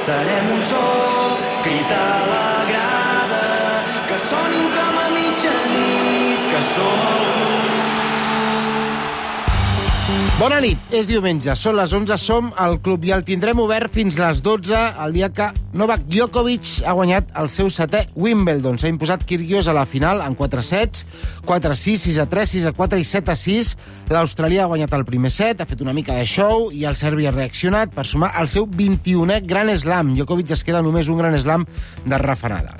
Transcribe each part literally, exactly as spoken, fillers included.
serem un sol crit a la grada, que sonin com a mitjanit, que som el club. Bona nit, és diumenge, són les onze, som al club i el tindrem obert fins les dotze, el dia que Novak Djokovic ha guanyat el seu setè Wimbledon. S'ha imposat Kyrgios a la final en quatre sets, quatre a sis, sis a tres, sis a quatre i set a sis. L'australià ha guanyat el primer set, ha fet una mica de show i el serbi ha reaccionat per sumar el seu vint-i-unè Grand Slam. Djokovic es queda només un Grand Slam de Rafa Nadal.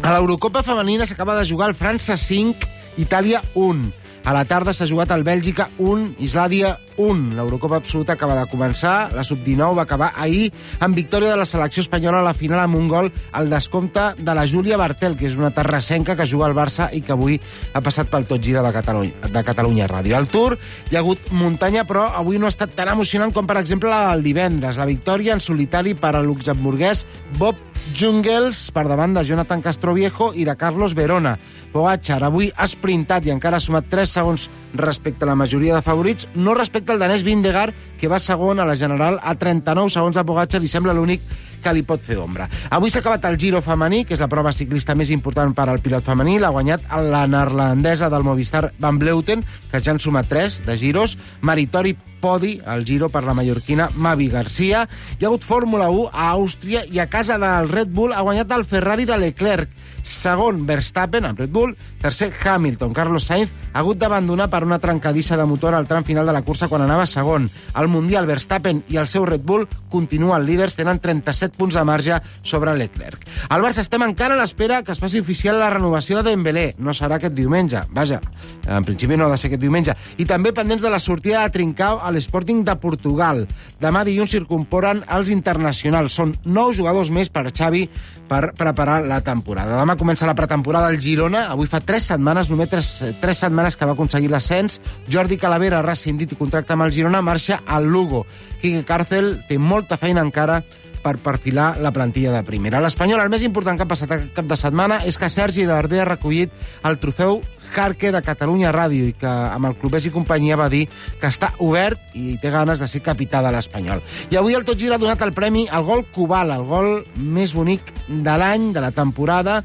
A l'Eurocopa femenina s'acaba de jugar el França cinc, Itàlia un. A la tarda s'ha jugat el Bèlgica un, Islàndia un. L'Eurocopa absoluta acaba de començar. La sub dinou va acabar ahir amb victòria de la selecció espanyola a la final amb un gol al descompte de la Júlia Bartel, que és una terrassenca que juga al Barça i que avui ha passat pel Tot Gira de Catalunya, de Catalunya Ràdio. Al Tour hi ha hagut muntanya, però avui no ha estat tan emocionant com, per exemple, la del divendres. La victòria en solitari per al luxemburguès Bob Jungels per davant de Jonathan Castroviejo i de Carlos Verona. Pogačar avui ha sprintat i encara ha sumat tres segons respecte a la majoria de favorits, no respecte al danès Vingegaard, que va segon a la general a trenta-nou segons de Pogačar i sembla l'únic que li pot fer ombra. Avui s'ha acabat el Giro femení, que és la prova ciclista més important per al pilot femení. L'ha guanyat la neerlandesa del Movistar Van Vleuten, que ja han sumat tres de giros. Meritori podi al Giro per la mallorquina Mavi Garcia. Hi ha hagut Fórmula u a Àustria i a casa del Red Bull ha guanyat el Ferrari de Leclerc. Segon, Verstappen, amb Red Bull. Tercer, Hamilton. Carlos Sainz ha hagut d'abandonar per una trencadissa de motor al tram final de la cursa quan anava segon. Al Mundial, Verstappen i el seu Red Bull continuen líders, tenen trenta-set punts de marge sobre Leclerc. Al Barça estem encara a l'espera que es faci oficial la renovació de Dembélé. No serà aquest diumenge. Vaja, en principi no ha de ser aquest diumenge. I també pendents de la sortida de Trincao a l'Sporting de Portugal. Demà dilluns s'incorporen els internacionals. Són nou jugadors més per Xavi per preparar la temporada. Demà comença la pretemporada al Girona. Avui fa tres setmanes, només tres, tres setmanes que va aconseguir l'ascens. Jordi Calavera, rescindit i contracte amb el Girona, marxa al Lugo. Quique Cárcel té molta feina encara per perfilar la plantilla de primera. L'Espanyol, el més important que ha passat aquest cap de setmana és que Sergi Darder ha recollit el trofeu Jarque de Catalunya Ràdio i que amb el Clubers i companyia va dir que està obert i té ganes de ser capità de l'Espanyol. I avui el Tot Gira ha donat el premi al gol Kubala, el gol més bonic de l'any, de la temporada.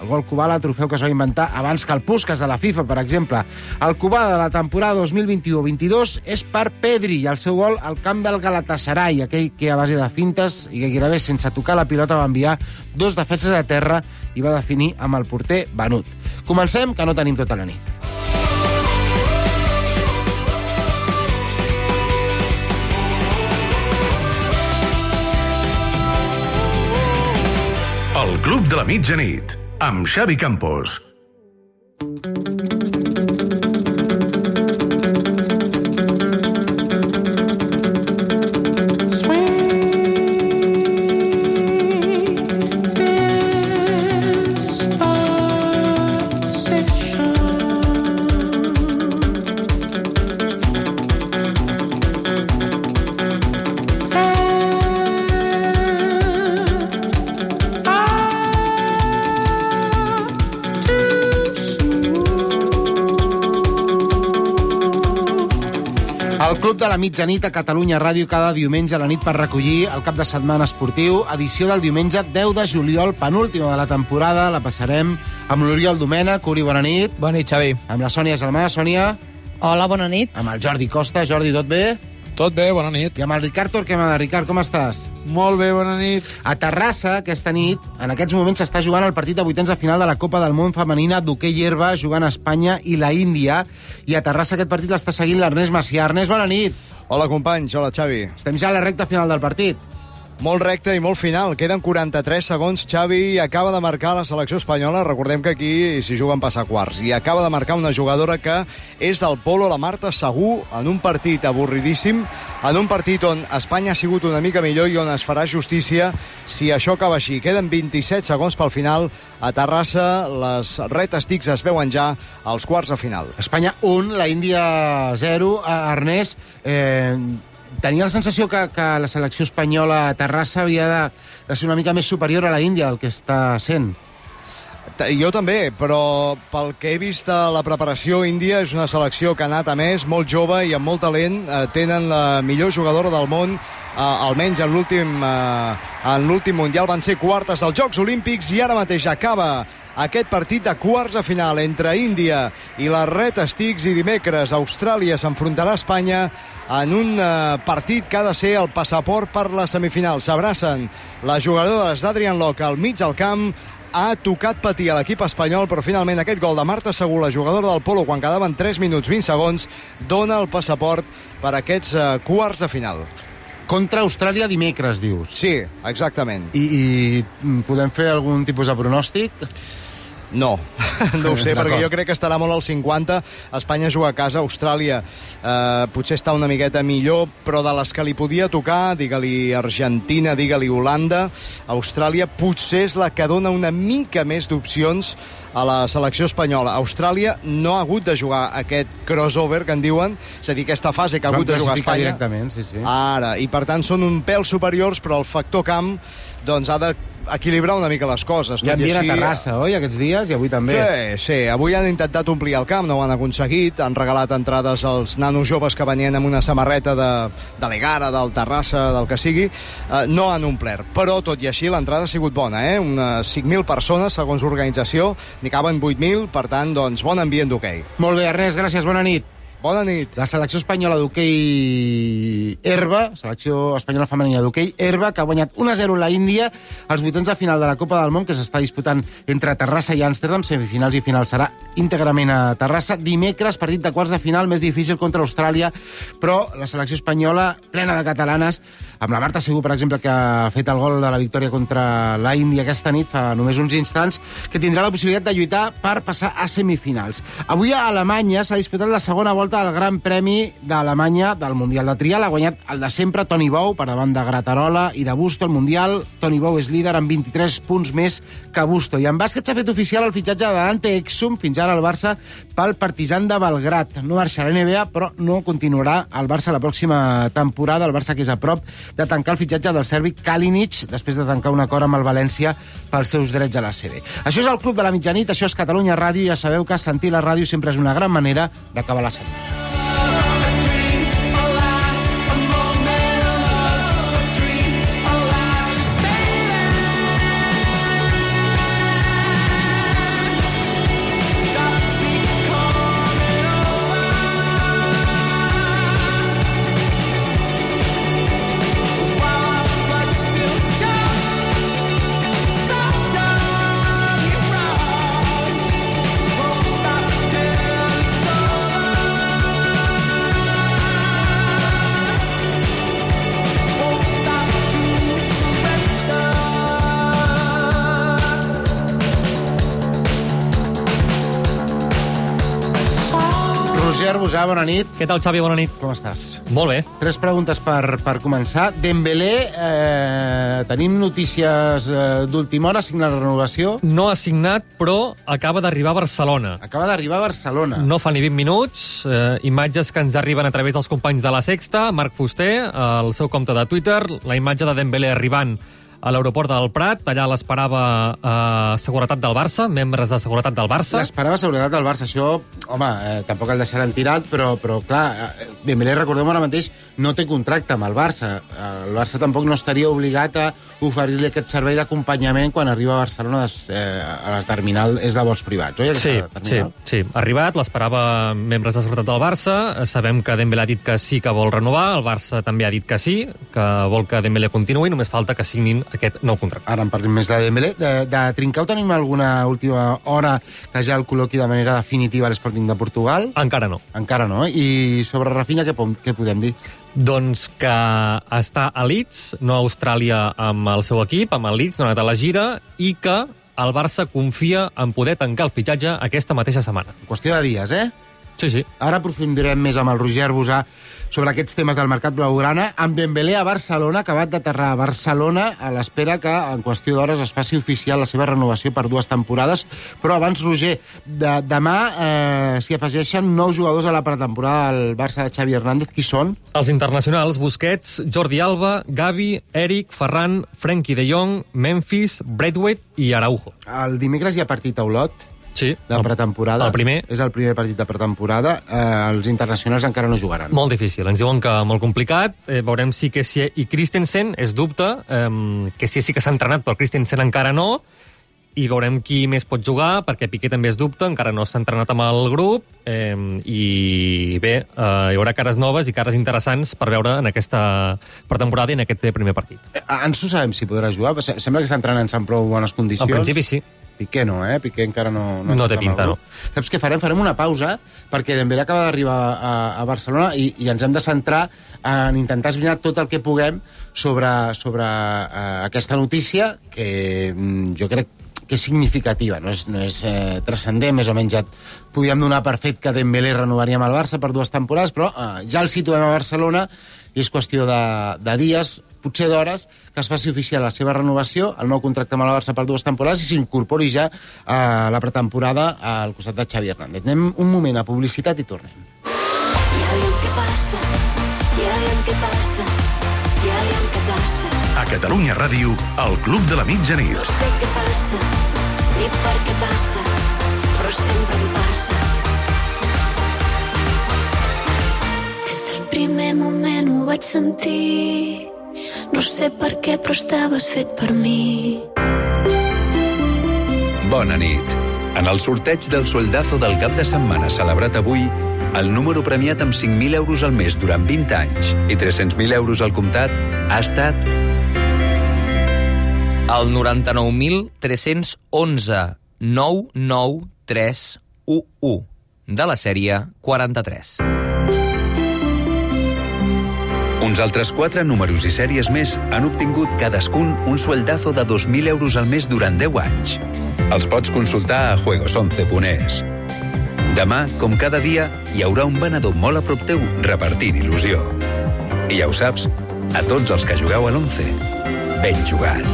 El gol Kubala, el trofeu que es va inventar abans que el Puskás de la FIFA, per exemple. El Kubala de la temporada dos mil vint-i-u vint-i-dos és per Pedri i el seu gol al camp del Galatasaray, aquell que a base de fintes i que gairebé sense tocar la pilota va enviar dos defenses a terra i va definir amb el porter Banut. Comencem, que no tenim tota la nit. El Club de la Mitjanit, amb Xavi Campos. El Club de la Mitjanit a Catalunya Ràdio cada diumenge a la nit per recollir el cap de setmana esportiu. Edició del diumenge deu de juliol, penúltima de la temporada. La passarem amb l'Oriol Domènech. Uri, bona nit. Bona nit, Xavi. Amb la Sònia Gelmà. Sònia. Hola, bona nit. Amb el Jordi Costa. Jordi, tot bé? Tot bé, bona nit. I amb el Ricard Torquemada. Ricard, com estàs? Molt bé, bona nit. A Terrassa, aquesta nit, en aquests moments s'està jugant el partit de vuitens de final de la Copa del Món femenina d'hoquei herba, jugant a Espanya i la Índia. I a Terrassa aquest partit l'està seguint l'Ernest Macià. Ernest, bona nit. Hola, companys. Hola, Xavi. Estem ja a la recta final del partit. Molt recte i molt final. Queden quaranta-tres segons. Xavi acaba de marcar la selecció espanyola. Recordem que aquí s'hi juguen passar quarts. I acaba de marcar una jugadora que és del polo, la Marta Segú, en un partit avorridíssim, en un partit on Espanya ha sigut una mica millor i on es farà justícia si això acaba així. Queden vint-i-set segons pel final. A Terrassa les retes tics es veuen ja als quarts de final. Espanya un, la Índia zero. Ernest, eh... tenia la sensació que, que la selecció espanyola a Terrassa havia de, de ser una mica més superior a la Índia del que està sent. Jo també, però pel que he vist a la preparació, Índia és una selecció que ha anat a més, molt jove i amb molt talent. Eh, tenen la millor jugadora del món, eh, almenys en l'últim eh, en l'últim Mundial. Van ser quartes als Jocs Olímpics i ara mateix acaba aquest partit de quarts de final entre Índia i la Red Sticks, i dimecres Austràlia s'enfrontarà a Espanya en un eh, partit que ha de ser el passaport per la semifinal. S'abracen les jugadores d'Adrian Locke al mig del camp. Ha tocat patir a l'equip espanyol, però finalment aquest gol de Marta Segú, la jugadora del Polo, quan quedaven tres minuts vint segons, dona el passaport per a aquests uh, quarts de final. Contra Austràlia dimecres, dius? Sí, exactament. I, i podem fer algun tipus de pronòstic? No, no ho sé, perquè jo crec que estarà molt al cinquanta. Espanya juga a casa, Austràlia eh, potser està una miqueta millor, però de les que li podia tocar, digue-li Argentina, digue-li Holanda, Austràlia potser és la que dona una mica més d'opcions a la selecció espanyola. Austràlia no ha hagut de jugar aquest crossover, que en diuen, és a dir, aquesta fase que ha hagut de jugar Espanya. Directament, sí, sí. Ara, i per tant són un pèl superiors, però el factor camp doncs ha de equilibrar una mica les coses. Ja envien a Terrassa, oi, aquests dies, i avui també. Sí, sí, avui han intentat omplir el camp, no ho han aconseguit, han regalat entrades als nanos joves que venien amb una samarreta de, de l'Egara, del Terrassa, del que sigui, uh, no han omplert, però tot i així l'entrada ha sigut bona, eh? Unes cinc mil persones, segons l'organització, n'hi caben vuit mil, per tant, doncs, bon ambient d'hoquei. Molt bé, Ernest, gràcies, bona nit. Bona nit. La selecció espanyola d'hoquei herba, selecció espanyola femenina d'hoquei herba, que ha guanyat un a zero la Índia als vuitens de final de la Copa del Món, que s'està disputant entre Terrassa i Amsterdam. Semifinals i final serà íntegrament a Terrassa. Dimecres, partit de quarts de final, més difícil contra Austràlia, però la selecció espanyola, plena de catalanes, amb la Marta Segú, per exemple, que ha fet el gol de la victòria contra la Índia aquesta nit, fa només uns instants, que tindrà la possibilitat de lluitar per passar a semifinals. Avui a Alemanya s'ha disputat la segona volta al Gran Premi d'Alemanya del Mundial de Trial. Ha guanyat el de sempre Toni Bou per davant de Gratarola i de Busto al Mundial. Toni Bou és líder amb vint-i-tres punts més que Busto. I en bàsquet s'ha fet oficial el fitxatge de Dante Exum, fins ara al Barça, pel Partizan de Belgrat. No marxa a l'N B A, però no continuarà al Barça la pròxima temporada. El Barça, que és a prop de tancar el fitxatge del serbi Kalinic, després de tancar un acord amb el València pels seus drets a la C B. Això és el Club de la Mitjanit, això és Catalunya Ràdio. Ja sabeu que sentir la ràdio sempre és una gran manera d'acabar la setmana. Roger Busà, bona nit. Què tal, Xavi? Bona nit. Com estàs? Molt bé. Tres preguntes per, per començar. Dembélé, eh, tenim notícies eh, d'última hora, signa la renovació. No ha signat, però acaba d'arribar a Barcelona. Acaba d'arribar a Barcelona. No fa ni vint minuts. Eh, imatges que ens arriben a través dels companys de La Sexta. Marc Fuster, al seu compte de Twitter, la imatge de Dembélé arribant a l'aeroport del Prat. Allà l'esperava eh, seguretat del Barça, membres de seguretat del Barça. L'esperava seguretat del Barça. Això, home, eh, tampoc el deixaran tirat, però, però clar, eh, Dembélé, recordem ara mateix, no té contracte amb el Barça. El Barça tampoc no estaria obligat a oferir-li aquest servei d'acompanyament quan arriba a Barcelona des, eh, a la terminal, és de vols privats, oi? Sí, sí, sí. Ha arribat, l'esperava membres de seguretat del Barça. Sabem que Dembélé ha dit que sí que vol renovar, el Barça també ha dit que sí, que vol que Dembélé continuï, només falta que signin aquest nou contracte. Ara en parlim més de Dembélé. De, de Trincao tenim alguna última hora que ja el col·loqui de manera definitiva a l'Sporting de Portugal? Encara no. Encara no, eh? I sobre Rafinha què, què podem dir? Doncs que està a Leeds, no a Austràlia amb el seu equip, amb el Leeds, no ha anat a la gira, i que el Barça confia en poder tancar el fitxatge aquesta mateixa setmana. Qüestió de dies, eh? Sí, sí. Ara aprofundirem més amb el Roger Arbusà sobre aquests temes del mercat blaugrana, amb Dembélé a Barcelona, acabat d'aterrar a Barcelona, a l'espera que en qüestió d'hores es faci oficial la seva renovació per dues temporades. Però abans, Roger, de, demà eh, s'hi afegeixen nou jugadors a la pretemporada del Barça de Xavi Hernández. Qui són? Els internacionals: Busquets, Jordi Alba, Gavi, Eric, Ferran, Frenkie de Jong, Memphis, Braithwaite i Araujo. El dimecres hi ha partit a Olot, Sí. de pretemporada. El primer. És el primer partit de pretemporada. Eh, els internacionals encara no jugaran. Molt difícil. Ens diuen que molt complicat. Eh, veurem si Kessie i Christensen és dubte. Eh, Kessie sí que s'ha entrenat, però Christensen encara no. I veurem qui més pot jugar, perquè Piqué també és dubte, encara no s'ha entrenat amb el grup. Eh, I bé, eh, hi haurà cares noves i cares interessants per veure en aquesta pretemporada i en aquest primer partit. Eh, ens ho sabem si podrà jugar. Sembla que està entrenant en prou bones condicions. En principi sí. Piqué no, eh? Piqué encara no... No té pinta, no. Saps què farem? Farem una pausa, perquè Dembélé acaba d'arribar a, a Barcelona i, i ens hem de centrar en intentar esbrinar tot el que puguem sobre, sobre uh, aquesta notícia, que mm, jo crec que és significativa, no és, no és eh, transcendent, més o menys ja podíem donar per fet que Dembélé renovaria amb el Barça per dues temporades, però eh, ja el situem a Barcelona i és qüestió de, de dies, potser d'hores, que es faci oficial la seva renovació, el nou contracte amb el Barça per dues temporades i s'incorpori ja a la pretemporada al costat de Xavi Hernández. Anem un moment a publicitat i tornem. Ja veiem què passa, ja veiem què passa, ja veiem què passa. A Catalunya Ràdio, el Club de la Mitjanit. No sé què passa, ni per què passa, però sempre em passa. Des del primer moment ho vaig sentir. No sé per què, però estaves fet per mi. Bona nit. En el sorteig del sueldazo del cap de setmana celebrat avui, el número premiat amb cinc mil euros al mes durant vint anys i tres-cents mil euros al comptat ha estat... El noranta-nou mil tres-cents onze nou nou tres u u de la sèrie quaranta-tres. Uns altres quatre números i sèries més han obtingut cadascun un sueldazo de dos mil euros al mes durant deu anys. Els pots consultar a juegos once punt es. Demà, com cada dia, hi haurà un venedor molt a prop teu repartint il·lusió. I ja ho saps, a tots els que jugueu a l'once, ben jugat.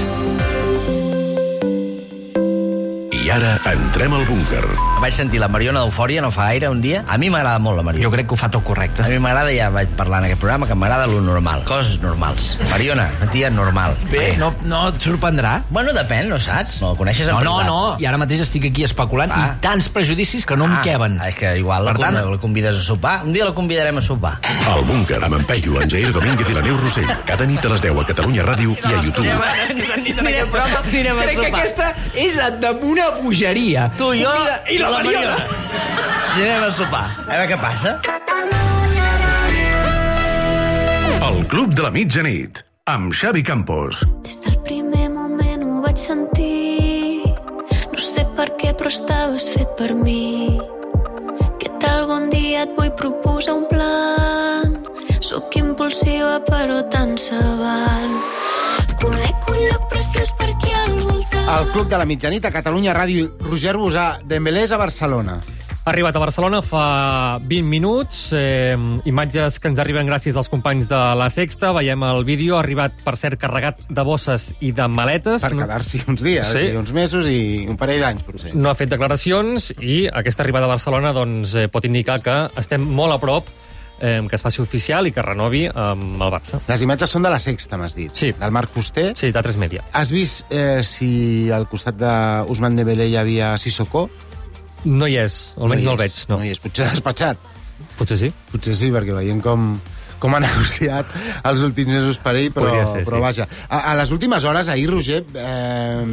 I ara entrem al búnquer. Vaig sentir la Mariona d'Eufòria no fa gaire un dia. A mi m'agrada molt la Mariona. Jo crec que ho fa tot correcte. A mi m'agrada, ja vaig parlar en aquest programa, que m'agrada lo normal. Coses normals. Mariona, una tia normal. Bé, no, no et sorprendrà? Bueno, depèn, no saps? No la coneixes en No, no, privat. no. I ara mateix estic aquí especulant Ah. i tants prejudicis que no em Ah, queben. és que igual la, Per tant- la convides a sopar. Un dia la convidarem a sopar. El búnquer amb en Peyu, en Jair Domínguez i la Neus Rossell. Cada nit a les deu a Catalunya Ràdio i a YouTube. És que s'han dit en aquest programa. Anirem a Crec que sopar. aquesta és de una bogeria. Tu i jo Convida- i la Mariona. Anirem a sopar. A veure què passa. El Club de la Mitjanit, amb Xavi Campos. Des del primer moment ho vaig sentir. No sé per què, però estaves fet per mi. Què tal, bon dia, et vull proposar un plan. Sóc impulsiva, però tant se val. Conec un lloc preciós per aquí al voltant. El Club de la Mitjanit a Catalunya Ràdio. Roger Arbusà, Dembélé és a Barcelona. Ha arribat a Barcelona fa vint minuts, eh, imatges que ens arriben gràcies als companys de La Sexta. Veiem el vídeo, ha arribat, per cert, carregat de bosses i de maletes. Per quedar-s'hi uns dies, Sí. sí. uns mesos i un parell d'anys, potser. No ha fet declaracions i aquesta arribada a Barcelona doncs, eh, pot indicar que estem molt a prop eh, que es faci oficial i que renovi amb el Barça. Les imatges són de La Sexta, m'has dit. Sí. Del Marc Fuster. Sí, d'A tres Media. Has vist eh, si al costat d'Ousmane Dembélé hi havia Sissoko? No hi és, almenys no, hi el veig. és, No. no hi és. Potser l'ha despatxat. Potser sí. Potser sí, perquè veiem com, com ha negociat els últims mesos per ell, però, Podria ser, però sí. vaja. A, a les últimes hores, ahir, Roger, eh,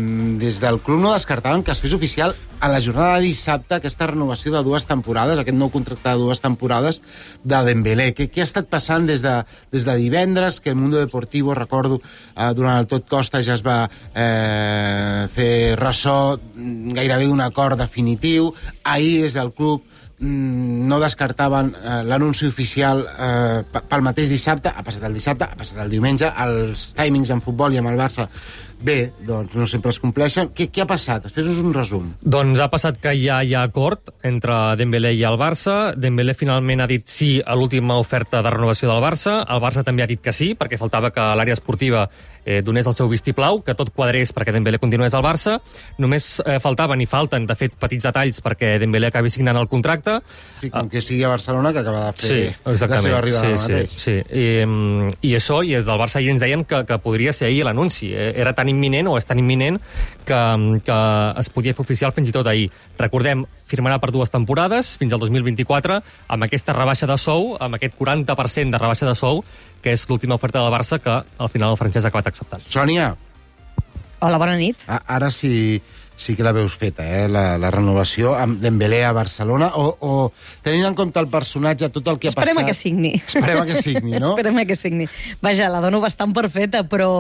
des del club no descartaven que es fes oficial a la jornada de dissabte aquesta renovació de dues temporades, aquest nou contracte de dues temporades de Dembélé. Què, què ha estat passant des de, des de divendres, que el Mundo Deportivo, recordo, eh, durant el Tot Costa ja es va eh, fer ressò gairebé d'un acord definitiu. Ahir, des del club, mm, no descartaven eh, l'anunci oficial eh, pel mateix dissabte, ha passat el dissabte, ha passat el diumenge, els timings en futbol i amb el Barça bé, doncs no sempre es compleixen. Què, què ha passat? Després un resum. Doncs ha passat que ja hi ha acord entre Dembélé i el Barça. Dembélé finalment ha dit sí a l'última oferta de renovació del Barça. El Barça també ha dit que sí, perquè faltava que l'àrea esportiva eh, donés el seu vistiplau, que tot quadrés perquè Dembélé continués al Barça. Només eh, faltaven i falten, de fet, petits detalls perquè Dembélé acabi signant el contracte. Sí, com que sigui a Barcelona, que acaba de fer sí, la seva arribada sí, mateix. Sí, sí. I, I això, i des del Barça ahir ens deien que, que podria ser ahir l'anunci. Era tan imminent, o és tan imminent, que, que es podia fer oficial fins i tot ahir. Recordem, firmarà per dues temporades, fins al dos mil vint-i-quatre, amb aquesta rebaixa de sou, amb aquest quaranta per cent de rebaixa de sou, que és l'última oferta del Barça que al final el francès ha acabat acceptant. Sònia. Hola, bona nit. A, ara sí, sí que la veus feta, eh? la, la renovació amb Dembélé a Barcelona, o, o tenint en compte el personatge, tot el que ha Esperem passat... que signi. Esperem que signi, no? Esperem que signi. Vaja, la dono bastant perfeta, però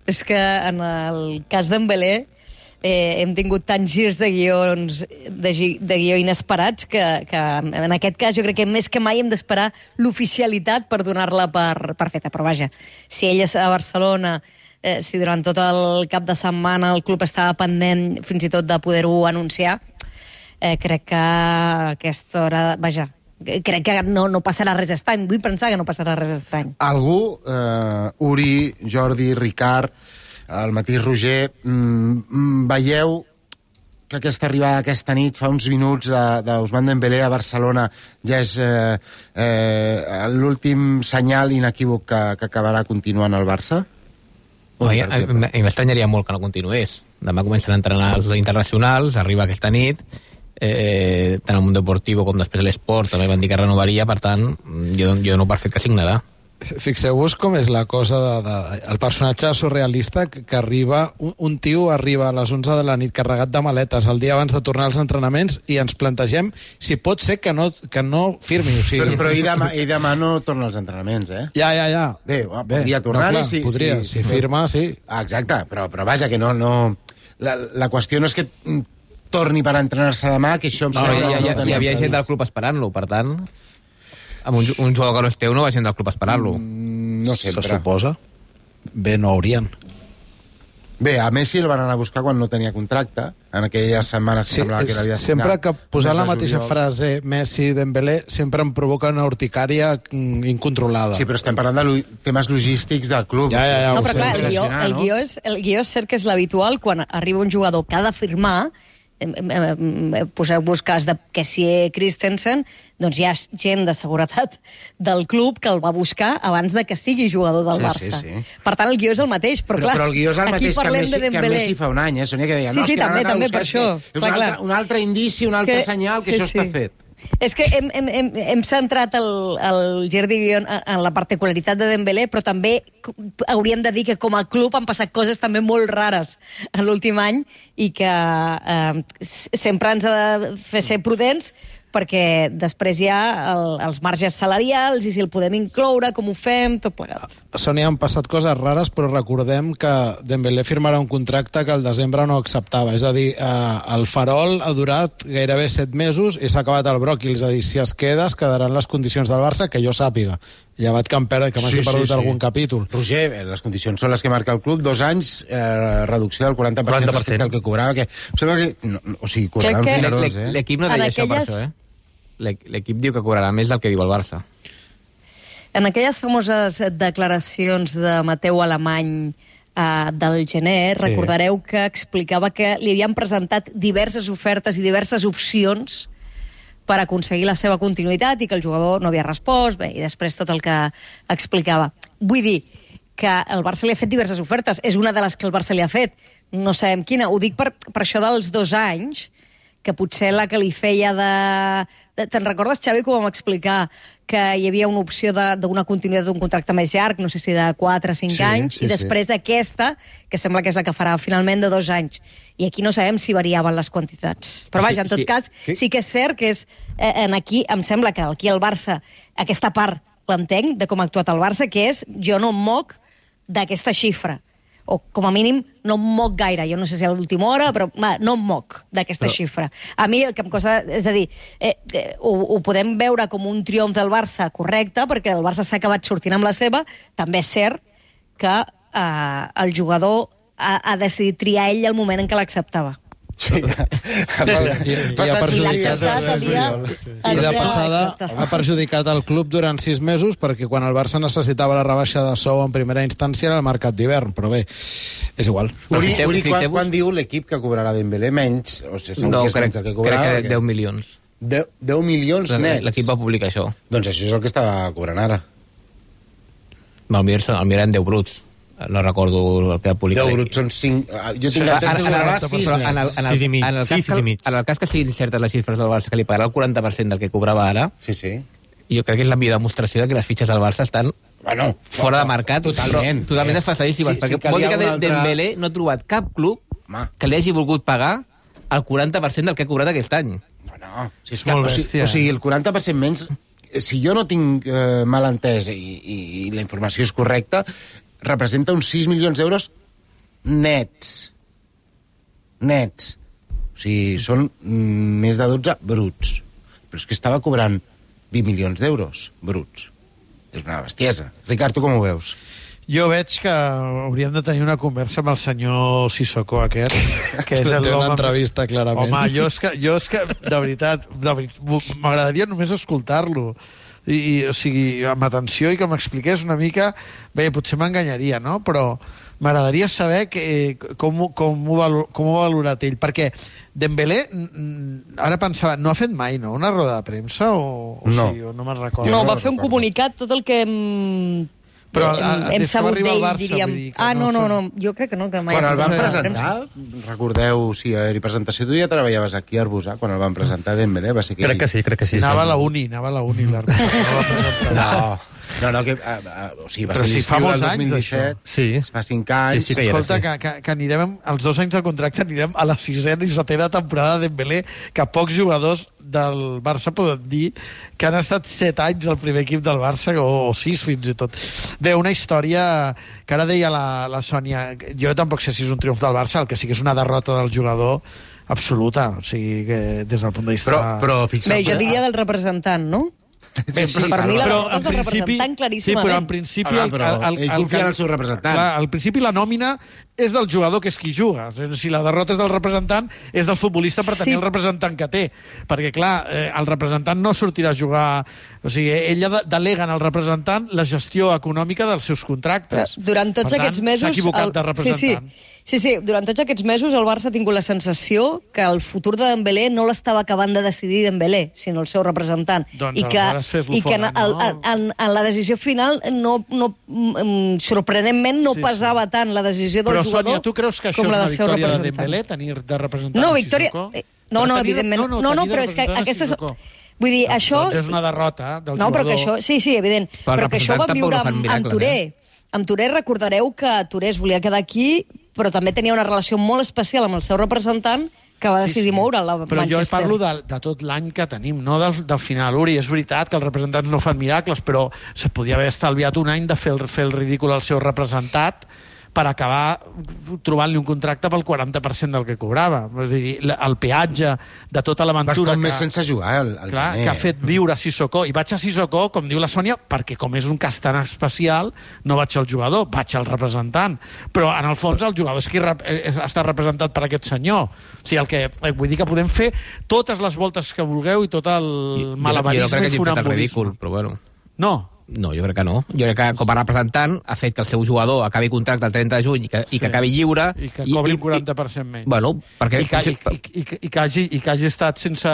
és que en el cas d'en Dembélé eh, hem tingut tants girs de guions de, gi, de guió inesperats que, que en aquest cas jo crec que més que mai hem d'esperar l'oficialitat per donar-la per, per feta. Però vaja, si ell és a Barcelona, eh, si durant tot el cap de setmana el club estava pendent fins i tot de poder-ho anunciar, eh, crec que a aquesta hora... Vaja, crec que no, no passarà res estrany. Vull pensar que no passarà res estrany. Algú, eh, Uri, Jordi, Ricard, el mateix Roger, mm, veieu que aquesta arribada aquesta nit, fa uns minuts, d'Ousmane Dembélé a Barcelona, ja és eh, eh, l'últim senyal inequívoc que, que acabarà continuant al Barça? No, i, i m'estranyaria molt que no continués. Demà comencen a entrenar els internacionals, arriba aquesta nit, eh, tant al Mundo Deportivo com després a l'Esport també van dir que renovaria, per tant jo, jo no per fet que signarà. Fixeu-vos com és la cosa de, de, el personatge surrealista que, que arriba, un, un tio arriba a les onze de la nit carregat de maletes el dia abans de tornar als entrenaments i ens plantegem si pot ser que no, que no firmi, o sigui... Però, però i, demà, i demà no torna als entrenaments, eh? Ja, ja, ja. Bé, podria tornar-hi, no, si, podria, si, si firma, sí. Ah, exacte, però, però vaja, que no... no... La, la qüestió no és que torni per entrenar-se demà, que això em no, sembla... Hi, hi, no hi, hi havia gent del club esperant-lo, per tant... Amb un, un jugador que no és teu no va gent del club esperant-lo. Mm, no sempre. Se suposa. Bé, no haurien. Bé, a Messi el van anar a buscar quan no tenia contracte, en aquelles setmanes que sí, semblava que l'havia signat. Sempre que posar la mateixa juliol. frase Messi-Dembélé sempre em provoca una urticària incontrolada. Sí, però estem parlant de temes logístics del club. Ja, ja, ja, no, però clar, el guió, el, no? guió és, el guió és cert que és l'habitual quan arriba un jugador que ha de firmar. Poseu-vos cas de que si Christensen, doncs hi ha gent de seguretat del club que el va buscar abans de que sigui jugador del sí, Barça. Sí, sí. Per tant, el guió és el mateix, però, però clar... Però el guió és el mateix que Messi, que Messi fa un any, eh, Sònia, que deia... Sí, no, sí, és que també, també, per això. És un, clar, altre, un altre indici, un altre que, senyal que sí, això sí. està fet. És que hem, hem, hem, hem centrat el, el gir de guió en la particularitat de Dembélé, però també hauríem de dir que com a club han passat coses també molt rares en l'últim any i que eh, sempre ens ha de fer ser prudents perquè després hi ha el, els marges salarials i si el podem incloure, com ho fem, tot plegat. Sònia, han passat coses rares, però recordem que Dembélé firmarà un contracte que al desembre no acceptava. És a dir, eh, el farol ha durat gairebé set mesos i s'ha acabat el bròquil. És a dir, si es queda, es quedaran les condicions del Barça, que jo sàpiga. Llevat que em perd, que m'hagi sí, perdut sí, sí. algun capítol. Roger, les condicions són les que marca el club, dos anys, eh, reducció del quaranta per cent respecte al que cobrava, que em sembla que... No, o sigui, cobrarà uns dinerons, eh? L'equip no deia això per això, eh? L'equip diu que cobrarà més del que diu el Barça. En aquelles famoses declaracions de Mateu Alemany eh, del gener, sí. recordareu que explicava que li havien presentat diverses ofertes i diverses opcions per aconseguir la seva continuïtat i que el jugador no havia respost, bé, i després tot el que explicava. Vull dir que el Barça li ha fet diverses ofertes, és una de les que el Barça li ha fet, no sabem quina, ho dic per, per això dels dos anys, que potser la que li feia de... de te'n recordes, Xavi, que ho vam explicar, que hi havia una opció d'una continuïtat d'un contracte més llarg, no sé si de quatre o cinc sí, anys, sí, i després sí. aquesta, que sembla que és la que farà finalment de dos anys. I aquí no sabem si variaven les quantitats. Però vaja, en tot sí, cas, sí. sí que és cert que és... Eh, en aquí, em sembla que aquí el Barça, aquesta part l'entenc de com ha actuat el Barça, que és jo no em moc d'aquesta xifra. o com a mínim no em moc gaire, jo no sé si a l'última hora, però va, no em moc d'aquesta Però- xifra. A mi el que em costa, és a dir, eh, eh, ho, ho podem veure com un triomf del Barça correcte, perquè el Barça s'ha acabat sortint amb la seva, també és cert que eh, el jugador ha, ha decidit triar ell el moment en què l'acceptava. Sí. I, i ha perjudicat el dia... I de passada ha perjudicat el club durant sis mesos perquè quan el Barça necessitava la rebaixa de sou en primera instància era el mercat d'hivern, però bé, és igual. Uri, Uri quan, quan diu l'equip que cobrarà Dembélé menys? O sigui, No, que és crec, menys el que crec cobrarà, que o què? deu milions. deu, deu milions nets? L'equip va publicar això. Doncs això és el que està cobrant ara. El mir, el mir eren deu bruts. No recordo el que va publicar. deu bruts són cinc... Jo tinc entès que cobrarà sis en el, nets. en el, sis i mig, en el cas sis, que, sis i mig. en el cas que siguin certes les xifres del Barça, que li pagarà el quaranta per cent del que cobrava ara, sí, sí. jo crec que és la millor demostració de que les fitxes del Barça estan bueno, fora de mercat, totalment, però totalment eh? desfasadíssimes, Sí, perquè sí que vol hi dir ha que una altra- Dembélé no ha trobat cap club Home. que li hagi volgut pagar el quaranta per cent del que ha cobrat aquest any. No, no. Si és que, Molt o, sigui, bèstia, o sigui, el quaranta per cent menys, si jo no tinc eh, mal entès i, i, i la informació és correcta, representa uns sis milions d'euros nets. Nets. O sigui, són mm, més de dotze bruts. Però és que estava cobrant vint milions d'euros bruts. És una bestiesa. Ricard, tu com ho veus? Jo veig que hauríem de tenir una conversa amb el senyor Sissoko aquest, que és el Té una home- entrevista, clarament. Home, jo és que, jo és que de veritat, de veritat m'agradaria només escoltar-lo. I, i, o sigui, amb atenció i que m'expliqués una mica... Bé, potser m'enganyaria, no? Però m'agradaria saber que, com, ho- com, ho valo- com ho ha valorat ell, perquè Dembélé, mm, ara pensava, no ha fet mai, no?, una roda de premsa? O, o No. sí, o no me'n recordo. No, va fer un comunicat, tot el que hem, Però, hem, ah, hem des que va sabut arribar al d'ell, Barça, diríem... vull dir que Ah, no no, no, són- no, jo crec que no, que mai... Quan ha el van fet roda de presentar, recordeu, sí, a la presentació, tu ja treballaves aquí a Arbusà, quan el van presentar Dembélé, va ser que... Crec que sí, crec que sí. Anava sí. a la uni, anava a la uni, l'Arbus. No, no, no, que, a, a, o sigui, va Però ser si fa l'estiu molts del anys, dos mil disset, Sí. fa cinc anys... Sí, sí que hi era, Escolta, sí. que, que, que anirem, els dos anys de contracte anirem a la sisena i setena temporada de Dembélé, que pocs jugadors del Barça poden dir que han estat set anys al primer equip del Barça, o, o sis fins i tot. Bé, una història que ara deia la, la Sònia, jo tampoc sé si és un triomf del Barça, el que sí que és una derrota del jugador absoluta, o sigui que des del punt de vista... Però, però fixa't... Bé, jo diria del representant, no? Sí, sí, per mi la Però, derrota en és del principi- representant Sí, claríssimament. però en principi... Home, però ell confia en el seu representant. Clar, al principi la nòmina és del jugador, que és qui juga. Si la derrota és del representant, és del futbolista per tenir Sí. el representant que té. Perquè, clar, eh, el representant no sortirà a jugar... O sigui, ella de- delega en el representant la gestió econòmica dels seus contractes. Durant tots Per tant, aquests mesos... s'ha equivocat el- de representant. Sí, sí. Sí, sí, durant tots aquests mesos el Barça ha tingut la sensació que el futur de Dembélé no l'estava acabant de decidir Dembélé, sinó el seu representant. Doncs I que, aleshores fes-lo i que en, fora, el, no? en, en, en la decisió final no, no, mm, sorprenentment no Sí, sí. pesava tant la decisió del Però, jugador Sònia, tu creus que això com és la una del seu victòria de representant. Dembélé, tenir de representant No, a victòria... Sissoko? eh, No, no, Però tenir de- evidentment. no, no, no, no tenir de però és que representant a aquesta és... Sissoko. Vull dir, això... Doncs és una derrota del No, però jugador. que això... Sí, sí, evident. Però els Però, que això ho vam representants viure tampoc no fan amb, amb miracles, Touré. eh? Amb Touré recordareu que Touré es volia quedar aquí, però també tenia una relació molt especial amb el seu representant, que va decidir moure la Però jo Manchester. parlo de, de tot l'any que tenim, no del, del final. Uri, és veritat que els representants no fan miracles, però se podia haver estalviat un any de fer el, fer el ridícul al seu representat per acabar trobant-li un contracte pel quaranta per cent del que cobrava. És a dir, el peatge de tota l'aventura... Bastant més sense jugar, el, el Clar, gener. que ha fet viure Sissoko. I vaig a Sissoko, com diu la Sònia, perquè com és un cas tan especial, no vaig al jugador, vaig al representant. Però, en el fons, el jugador és qui rep és, està representat per aquest senyor. O sigui, el que, vull dir que podem fer totes les voltes que vulgueu i tot el malabarisme jo no crec que i hagi fet el funambulisme. ridícul, però bueno. No. No, jo crec que no. Jo crec que com a representant ha fet que el seu jugador acabi contracte el trenta de juny i que, sí. i que acabi lliure. I que cobri un quaranta per cent menys. Bueno, perquè... I que, i, i, i, que- i, que hagi, I que hagi estat sense,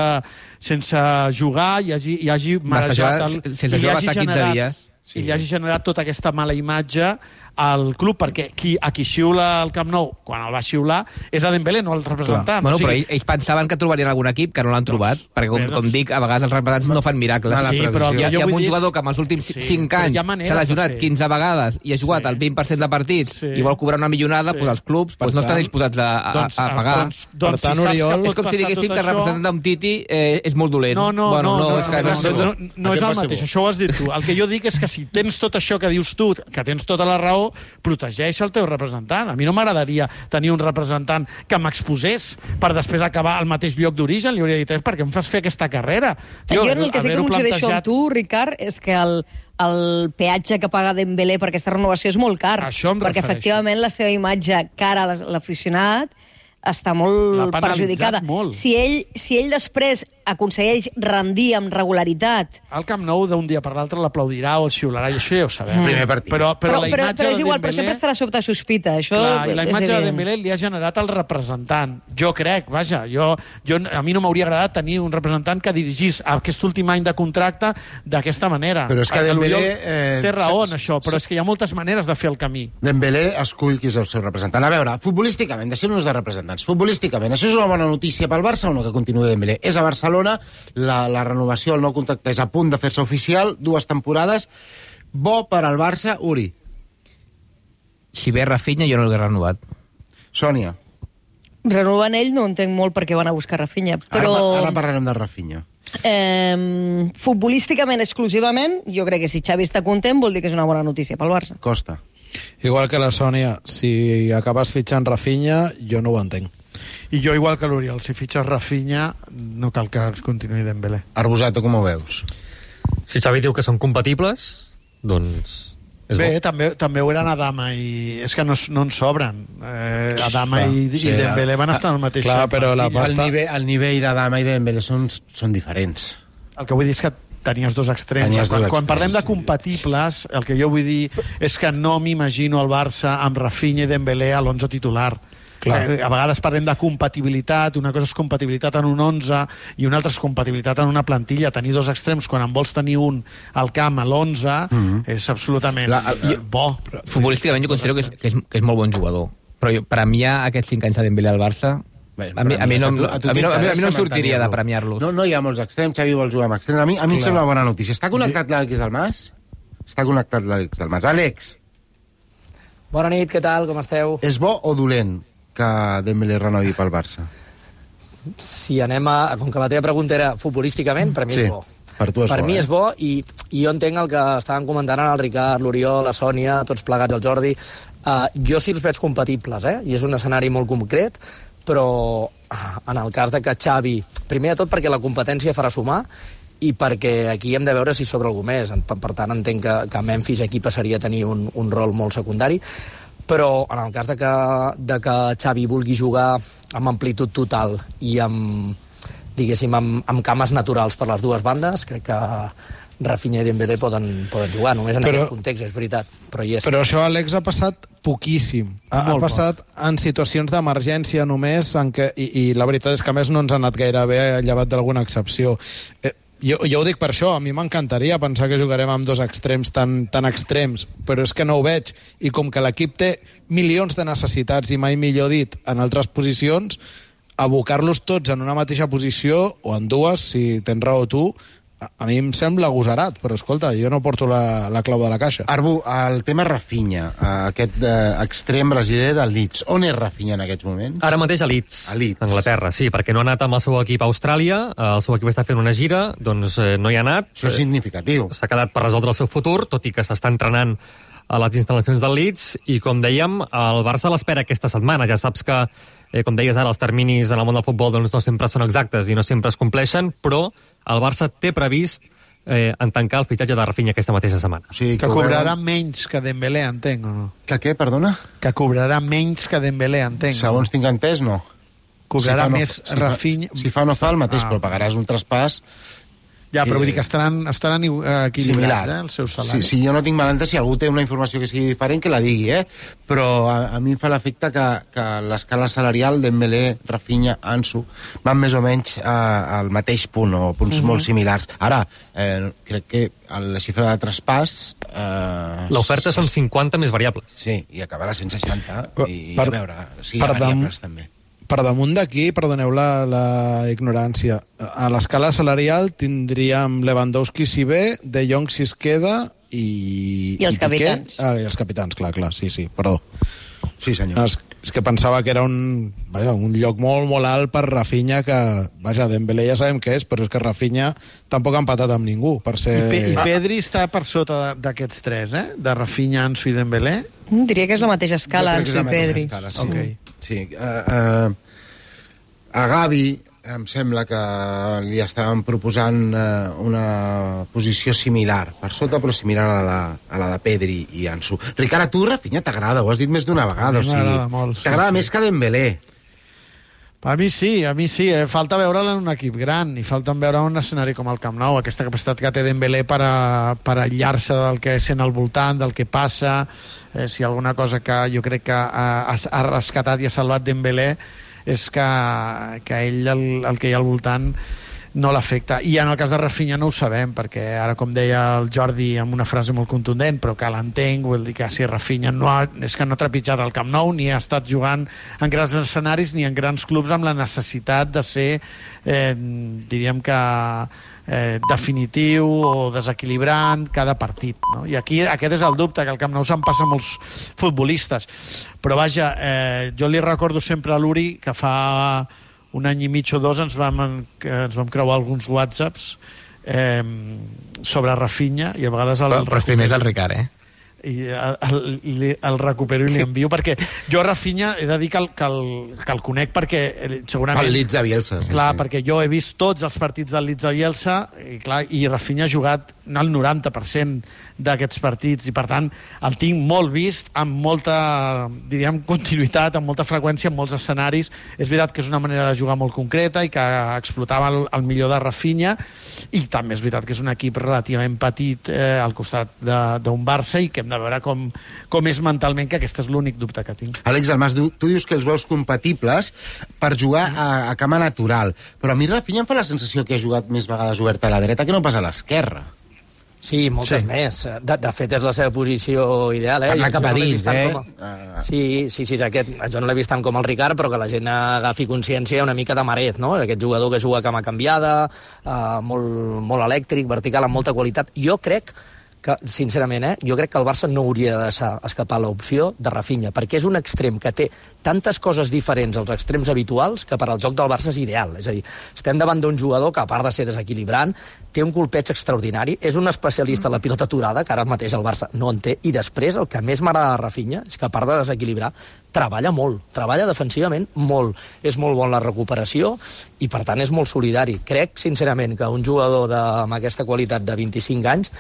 sense jugar i hagi, i hagi Va estar marejat... jugant- sense jugar va estar quinze dies. Sí. I li hagi generat tota aquesta mala imatge al club, perquè qui, a qui xiula el Camp Nou, quan el va xiular, és a Dembélé, no el representant. Bueno, o sigui, però ells, ells pensaven que trobarien algun equip que no l'han trobat, perquè com, bé, doncs- com dic, a vegades els representants no fan miracles. Sí, però el que hi ha, jo hi ha vull un dir és- jugador que amb els últims Sí, cinc però hi anys ha maneres s'ha de lesionat fer. quinze vegades i ha jugat Sí. el vint per cent de partits Sí. i vol cobrar una milionada, Sí. doncs els clubs doncs no estan disposats a, a, Doncs, a pagar. doncs, doncs, Per tant, si saps Oriol, que És com pot si passar diguéssim tot que el això- representant d'un Titi eh, és molt dolent. No, no, bueno, no, no, és que no, no, no, no, no és Aquest el va ser mateix, bo. això ho has dit tu. El que jo dic és que si tens tot això que dius tu, que tens tota la raó, protegeix el teu representant. A mi no m'agradaria tenir un representant que m'exposés per després acabar al mateix lloc d'origen. Li hauria dit, per què em fas fer aquesta carrera? Tio, jo en el que sí que coincideixo plantejat... amb tu, Ricard, és que el, el peatge que paga Dembélé per aquesta renovació és molt car. Això em perquè refereixo. Efectivament la seva imatge cara a l'aficionat està molt perjudicada. Molt. Si ell, si ell després aconsegueix rendir amb regularitat... Al Camp Nou d'un dia per l'altre l'aplaudirà o el xiularà, i això ja ho sabem. Mm. Primer partit. Però, però, però, la però, imatge però és de igual, Dembélé... però sempre estarà sota sospita. Això Clar, i la imatge de evident. Dembélé li ha generat el representant. Jo crec, vaja, jo, jo, a mi no m'hauria agradat tenir un representant que dirigís aquest últim any de contracte d'aquesta manera. Però és que Dembélé... Eh, té raó en això, però és que hi ha moltes maneres de fer el camí. Dembélé escull qui és el seu representant. A veure, futbolísticament, deixem-nos de representants. Futbolísticament, això és una bona notícia pel Barça o no, que continuï Dembélé? És a Barcelona, la, la renovació, el nou contracte és a punt de fer-se oficial, dues temporades. Bo per al Barça, Uri. Si ve Rafinha, jo no l'he renovat. Sònia. Renovant ell no entenc molt per què van a buscar Rafinha, però... Ara, ara parlarem de Rafinha. Eh, futbolísticament, exclusivament, jo crec que si Xavi està content vol dir que és una bona notícia pel Barça. Costa. Igual que la Sònia, si acabes fitxant Rafinha, jo no ho entenc. I jo, igual que l'Oriol, si fitxes Rafinha, no cal que continuï Dembélé. Arbosato, com ho veus? Si Xavi diu que són compatibles, doncs... És Bé, bo. també, també ho eren Adama i... És que no, no en sobren. Eh, Adama i, sí, i Dembélé van estar en el mateix... Clar, però la pasta... El nivell, el nivell d'Adama i Dembélé són, són diferents. El que vull dir és que tenies dos extrems. Tenies quan, dos quan extrems. parlem de compatibles, el que jo vull dir és que no m'imagino el Barça amb Rafinha i Dembélé a l'onze titular. Eh, a vegades parlem de compatibilitat, una cosa és compatibilitat en un onze i una altra és compatibilitat en una plantilla. Tenir dos extrems quan en vols tenir un al camp a l'onze mm-hmm. és absolutament La, jo, bo. Futbolísticament jo considero que és, que, és, que és molt bon jugador, però jo, premiar aquests cinc anys de Dembélé al Barça Bé, a, mi, a, mi no, a, tu, a, tu a, mi no, a mi no em sortiria de premiar-los. No, no hi ha molts extrems, Xavi vol jugar amb extrems. A mi, a mi em sembla una bona notícia. Està connectat l'Àlex Dalmas? Està connectat l'Àlex Dalmas. Àlex. Bona nit, què tal, com esteu? És bo o dolent que Dembélé renovi pel Barça? Si anem a... Com que la teva pregunta era futbolísticament, per mi sí, és bo. Per tu és per bo, mi eh? és bo i, i jo entenc el que estaven comentant el Ricard, l'Oriol, la Sònia, tots plegats, el Jordi. Uh, jo sí els veig compatibles, eh? I és un escenari molt concret, però en el cas de que Xavi... Primer de tot perquè la competència farà sumar i perquè aquí hem de veure si sobre algú més. Per, per tant, entenc que, que Memphis aquí passaria a tenir un, un rol molt secundari, però en el cas de que, de que Xavi vulgui jugar amb amplitud total i amb, diguéssim, amb, amb cames naturals per les dues bandes, crec que Rafinha i Dembélé poden, poden jugar, només en però, aquest context, és veritat, però hi és. Però això, Àlex, ha passat poquíssim. Ha, ha passat poc. En situacions d'emergència només, en què, i, i la veritat és que a més no ens ha anat gaire bé, llevat d'alguna excepció. Eh, Jo, jo ho dic per això, a mi m'encantaria pensar que jugarem amb dos extrems tan, tan extrems, però és que no ho veig, i com que l'equip té milions de necessitats, i mai millor dit, en altres posicions, abocar-los tots en una mateixa posició, o en dues, si tens raó tu, a, a mi em sembla agosarat, però escolta, jo no porto la, la clau de la caixa. Arbu, el tema Rafinha, aquest eh, extrem brasiler del Leeds, on és Rafinha en aquests moments? Ara mateix a Leeds, a Leeds, Anglaterra, sí, perquè no ha anat amb el seu equip a Austràlia, el seu equip està fent una gira, doncs eh, no hi ha anat. Això és significatiu. S'ha quedat per resoldre el seu futur, tot i que s'està entrenant a les instal·lacions del Leeds, i com dèiem, el Barça l'espera aquesta setmana. Ja saps que, eh, com deies ara, els terminis en el món del futbol doncs, no sempre són exactes i no sempre es compleixen, però el Barça té previst eh, en tancar el fitxatge de Rafinha aquesta mateixa setmana. O sigui, que cobrarà menys que Dembélé, entenc, o no? Que què, perdona? Que cobrarà menys que Dembélé, entenc. Segons no? Tinc entès, no. Cobrarà si no, més si Rafinha... Fa, si fa no fa el mateix, ah. però pagaràs un traspàs... Ja, però vull dir que estaran, estaran equilibrats, eh, els seus salaris. Sí, sí, jo no tinc malentès, si algú té una informació que sigui diferent, que la digui, eh? Però a, a mi em fa l'efecte que, que l'escala salarial Dembélé, Rafinha, Ansu van més o menys a, al mateix punt, o punts uh-huh. molt similars. Ara, eh, crec que la xifra de traspàs... Eh, L'oferta són cinquanta més variables. Sí, i acabarà cent seixanta, i per, a veure, sí, hi ha variables també. Per damunt d'aquí, perdoneu la, la ignorància, a l'escala salarial tindríem Lewandowski si ve, De Jong si es queda i... I els i capitans. Ah, i els capitans, clar, clar, sí, sí, perdó. Sí, senyor. Els, és que pensava que era un, vaja, un lloc molt, molt alt per Rafinha, que, vaja, Dembélé ja sabem què és, però és que Rafinha tampoc ha empatat amb ningú, per ser... I, Pe I Pedri està per sota d'aquests tres, eh? De Rafinha, Ansu i Dembélé? Diria que és la mateixa escala, Ansu i Pedri. Escala, sí. Okay. Sí. Uh, uh, a Gavi em sembla que li estaven proposant uh, una posició similar, per sota però similar a la de, a la de Pedri i Ansu. Ricard, a tu Rafinha t'agrada, ho has dit més d'una vegada, o sigui, t'agrada sí, més sí. que Dembélé. A mi sí, a mi sí. Eh? Falta veure'l en un equip gran i falta veure un escenari com el Camp Nou, aquesta capacitat que té Dembélé per, a, per aïllar-se del que sent al voltant, del que passa. Eh, si alguna cosa que jo crec que ha, ha rescatat i ha salvat Dembélé és que, que ell, el, el que hi ha al voltant, no l'afecta. I en el cas de Rafinha no ho sabem, perquè ara, com deia el Jordi amb una frase molt contundent, però que l'entenc, vull dir que si Rafinha no ha, és que no ha trepitjat el Camp Nou, ni ha estat jugant en grans escenaris ni en grans clubs amb la necessitat de ser, eh, diríem que eh, definitiu o desequilibrant cada partit, no? I aquí aquest és el dubte, que al Camp Nou se'n passa molts futbolistes. Però vaja, eh, jo li recordo sempre a l'Uri que fa un any i mig o dos ens vam, ens vam creuar alguns whatsapps eh, sobre Rafinha i a vegades... El però, però primer és el Ricard, eh? i el, el, el recupero i li envio, perquè jo a Rafinha he de dir que el, que el, que el conec perquè segurament... El Leeds de Bielsa. Sí, clar, sí. perquè jo he vist tots els partits del Leeds de Bielsa i, clar, i Rafinha ha jugat el noranta per cent d'aquests partits i per tant el tinc molt vist amb molta, diríem, continuïtat, amb molta freqüència en molts escenaris. És veritat que és una manera de jugar molt concreta i que explotava el, el millor de Rafinha, i també és veritat que és un equip relativament petit eh, al costat d'un Barça i que hem de veure com, com és mentalment, que aquest és l'únic dubte que tinc. Àlex Dalmas, tu dius que els veus compatibles per jugar a, a cama natural, però a mi Rafinha em fa la sensació que ha jugat més vegades oberta a la dreta que no pas a l'esquerra. Sí, moltes sí. més. De, de fet, és la seva posició ideal. Eh? Anar cap a no dins, eh? Com a... Sí, sí, sí, aquest, jo no l'he vist tant com el Ricard, però que la gent agafi consciència una mica de Maret, no? Aquest jugador que juga a cama canviada, eh, molt, molt elèctric, vertical, amb molta qualitat. Jo crec que, sincerament, eh, jo crec que el Barça no hauria de deixar escapar l'opció de Rafinha, perquè és un extrem que té tantes coses diferents als extrems habituals que per al joc del Barça és ideal. És a dir, estem davant d'un jugador que, a part de ser desequilibrant, té un colpeig extraordinari, és un especialista en la pilota aturada, que ara mateix el Barça no en té, i després el que més m'agrada de Rafinha és que, a part de desequilibrar, treballa molt, treballa defensivament molt. És molt bon la recuperació i, per tant, és molt solidari. Crec, sincerament, que un jugador de, amb aquesta qualitat de vint-i-cinc anys,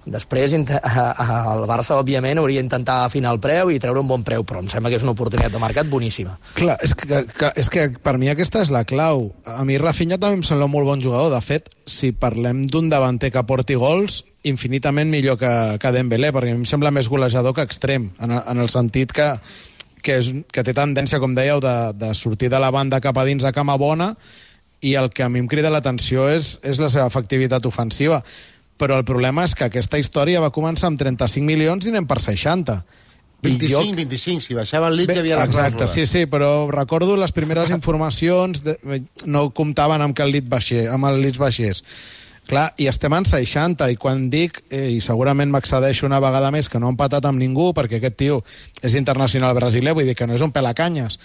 després el Barça, òbviament, hauria d'intentar afinar el preu i treure un bon preu, però em sembla que és una oportunitat de mercat boníssima. Clar, és que, que, és que per mi aquesta és la clau. A mi Rafinha també em sembla un molt bon jugador. De fet, si parlem d'un davanter que porti gols, infinitament millor que, que Dembélé, perquè a mi em sembla més golejador que extrem, en, en el sentit que, que, és, que té tendència, com dèieu, de, de sortir de la banda cap a dins a cama bona, i el que a mi em crida l'atenció és, és la seva efectivitat ofensiva. Però el problema és que aquesta història va començar amb trenta-cinc milions i anem per seixanta. vint-i-cinc, jo... vint-i-cinc, si baixava el Leeds hi havia la exacte, sí, sí, però recordo les primeres informacions, de... no comptaven amb que el Leeds baixés, amb el Leeds baixés. Clar, i estem en seixanta, i quan dic, eh, i segurament m'accedeixo una vegada més, que no ha empatat amb ningú, perquè aquest tio és internacional brasiler, vull dir que no és un pelacanyes,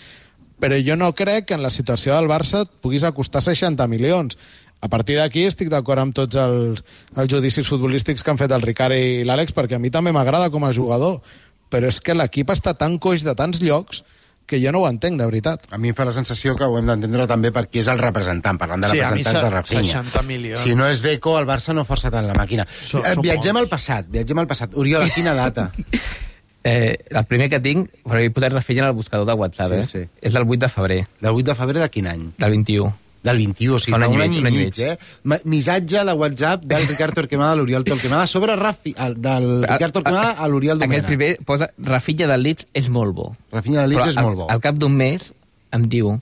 però jo no crec que en la situació del Barça et puguis acostar seixanta milions. A partir d'aquí estic d'acord amb tots els, els judicis futbolístics que han fet el Ricard i l'Àlex, perquè a mi també m'agrada com a jugador, però és que l'equip està tan coix de tants llocs que jo no ho entenc, de veritat. A mi em fa la sensació que ho hem d'entendre també perquè és el representant, parlant de sí, representants de Rafinha. seixanta milions. Si no és Deco, el Barça no força tant la màquina. So, eh, viatgem al passat, viatgem al passat. Oriol, a quina data? Eh, el primer que tinc, però he posat Rafinha en el buscador de WhatsApp, sí, eh? Sí. És del vuit de febrer. Del vuit de febrer de quin any? Del vint-i-u. Del vint-i-u, o sigui, un any, un any i mig, mig, eh? Missatge de WhatsApp del Ricard Torquemada a l'Oriol Torquemada sobre Rafi, del Ricard Torquemada a l'Oriol Domènech. Aquest primer posa Rafinha del Leeds és molt bo. Rafinha del Leeds és molt bo. Al cap d'un mes em diu: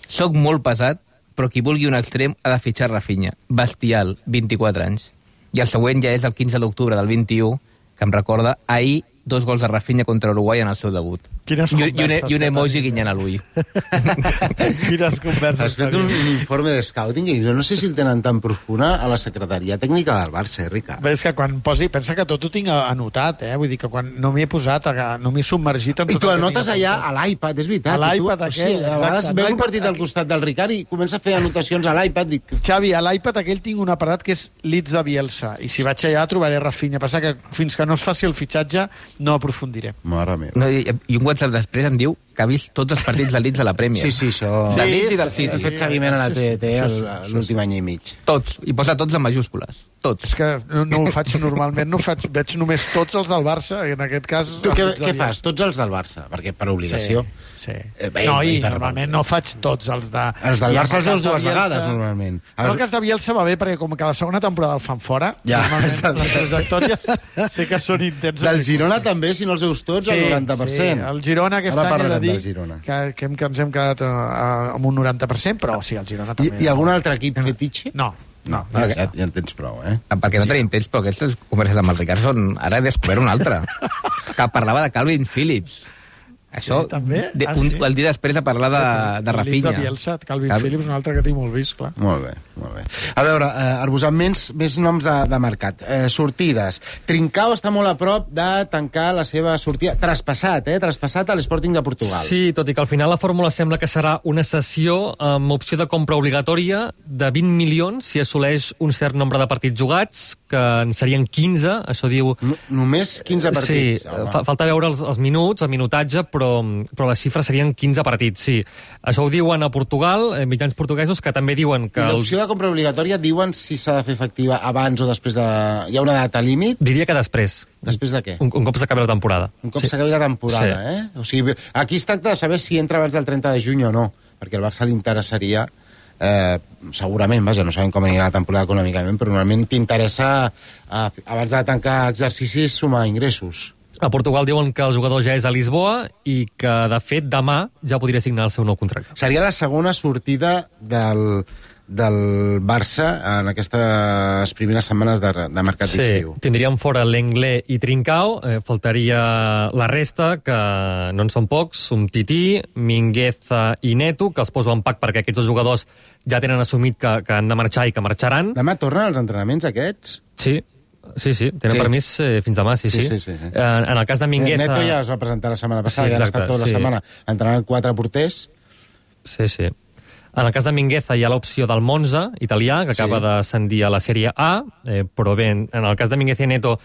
soc molt pesat, però qui vulgui un extrem ha de fitxar Rafinha. Bestial, vint-i-quatre anys. I el següent ja és el quinze d'octubre del vint-i-u, que em recorda: ahir dos gols de Rafinha contra Uruguai en el seu debut. Quines I, i, un, converses I un que emoji tenim, guinyant a l'ull. Quines converses. Has fet un, un informe de scouting i jo no sé si el tenen tan profunda a la secretaria tècnica del Barça, eh, Ricard? Bé, és que quan posi... Pensa que tot ho tinc anotat, eh? Vull dir que quan no m'hi he posat, no m'he submergit en tot. I tu anotes allà a l'iPad, és veritat. A l'iPad tu, aquell, o sigui, a vegades exacte. veus un partit al costat del Ricard i comença a fer anotacions a l'iPad. Dic... Xavi, a l'iPad aquell tinc un apartat que és Leeds de Bielsa, i si vaig allà trobaré Rafinha. Passa que fins que no es faci el fitxatge no aprofundiré. Mare meva. No, i, I un WhatsApp després em diu que ha vist tots els partits del Leeds a la Premier. Sí, sí, això... Del Leeds i del City. He fet seguiment a la T T l'últim any i mig. Tots, i posa tots en majúscules. Tots. És que no, no ho faig normalment, no ho faig, veig només tots els del Barça, en aquest cas... Tu què, què fas? Tots els del Barça? Perquè per obligació... Sí, sí. Eh, bé, no, i per... normalment no faig tots els de... Els del Barça els veus dues Bielsa, vegades, normalment. En el cas de Bielsa va bé, perquè com que la segona temporada el fan fora, ja, normalment les trajectòries sé que són intenses. Del Girona també, si no els veus tots, sí, el noranta per cent. Sí, el Girona aquest Ara any he de dir Girona. que, que, hem, que ens hem quedat uh, amb un noranta per cent, però sí, el Girona també. I, i algun altre equip fetitxe? No. No, no ja, ja en tens prou, eh? Perquè no tenim temps, però aquestes converses amb el Ricard són... Ara he descobert una altra. Que parlava de Calvin Phillips. Això, sí, també? De, Ah, un, sí? el dia després de parlar de, de Rafinha. De Bielsa, Calvin Cal... Phillips, un altre que tinc molt vist, clar. Molt bé, molt bé. A veure, eh, Arbusat, més, més noms de, de mercat. Eh, sortides. Trincao està molt a prop de tancar la seva sortida. Traspassat, eh? Traspassat a l'Sporting de Portugal. Sí, tot i que al final la fórmula sembla que serà una cessió amb opció de compra obligatòria de vint milions si assoleix un cert nombre de partits jugats, que en serien quinze, això diu... No, només quinze partits? Sí, fa, falta veure els, els minuts, el minutatge, però, però les xifres serien quinze partits, sí. Això ho diuen a Portugal, eh, mitjans portuguesos, que també diuen que... I l'opció de compra obligatòria diuen si s'ha de fer efectiva abans o després de... Hi ha una data límit? Diria que després. Després de què? Un, un cop s'acabi la temporada. Un cop sí. s'acabi la temporada, sí. eh? O sigui, aquí es tracta de saber si entra abans del trenta de juny o no, perquè el Barça li interessaria... Eh, segurament, vaja, no sabem com anirà la temporada econòmicament, però normalment t'interessa eh, abans de tancar exercicis sumar ingressos. A Portugal diuen que el jugador ja és a Lisboa i que, de fet, demà ja podria signar el seu nou contracte. Seria la segona sortida del, del Barça en aquestes primeres setmanes de, de mercat sí, d'estiu. Tindríem fora Lenglet i Trincao, eh, faltaria la resta, que no en són pocs, Umtiti, Mingueza i Neto, que els poso en pack perquè aquests dos jugadors ja tenen assumit que, que han de marxar i que marxaran. Demà tornen els entrenaments aquests? Sí, sí, sí, tenen sí. permís eh, fins demà, sí, sí. sí, sí, sí. En, en el cas de Mingueza... Neto ja es va presentar la setmana passada, sí, ja han estat tota la sí. setmana entrenant quatre porters. Sí, sí. En el cas de Mingueza hi ha l'opció del Monza, italià, que acaba sí. d'ascendir a la Sèrie A, eh, però bé, en el cas de Mingueza i Neto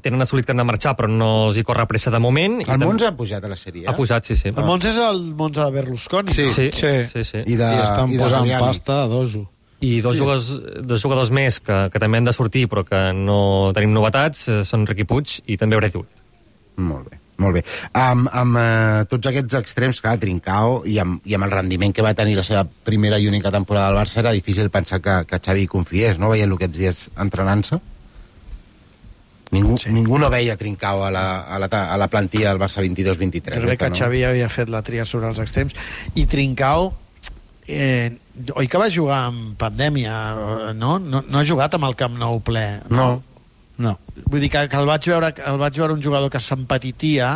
tenen assolit que han de marxar, però no els hi corre pressa de moment. El Monza ha pujat a la Sèrie A? Ha pujat, sí, sí. El Monza és el Monza de Berlusconi. Sí, sí. sí. sí, sí. I, de, I estan i posant Mariani. Pasta a doso. I dos, sí. jugadors, dos jugadors més que, que també han de sortir, però que no tenim novetats, són Riqui Puig i també Braithwaite. Molt bé. Molt bé. Amb, amb uh, tots aquests extrems, clar, Trincao, i amb, i amb el rendiment que va tenir la seva primera i única temporada al Barça, era difícil pensar que, que Xavi confiés, no? Veient aquests dies entrenant-se. Ningú, sí. ningú no veia Trincao a la, a la, a la plantilla del Barça vint-i-dos vint-i-tres. Jo crec que no? Xavi havia fet la tria sobre els extrems. I Trincao, eh, oi que va jugar en pandèmia, no? No, no ha jugat amb el Camp Nou ple. No. No. Vull dir que, que el, vaig veure, el vaig veure un jugador que s'empetitia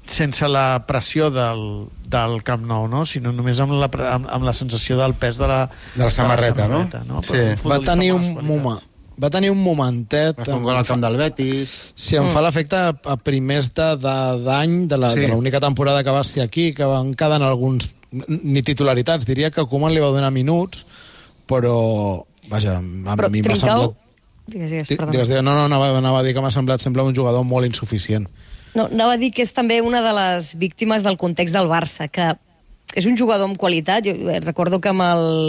sense la pressió del, del Camp Nou, no? Sinó només amb la, amb, amb la sensació del pes de la, de la samarreta, de la samarreta no? no? Sí. Va tenir un moment va tenir un momentet... Va fer un gol al camp del Betis. Sí, em mm. fa l'efecte a primers d'any de, de l'única sí. temporada que va ser aquí, que van quedar en alguns... ni titularitats, diria que Koeman li va donar minuts, però... Vaja, a però mi m'ha semblat... Digues, digues, perdó. Digues, digues, no, no, anava, anava a dir que m'ha semblat sempre un jugador molt insuficient. No, anava a dir que és també una de les víctimes del context del Barça, que és un jugador amb qualitat. Jo recordo que amb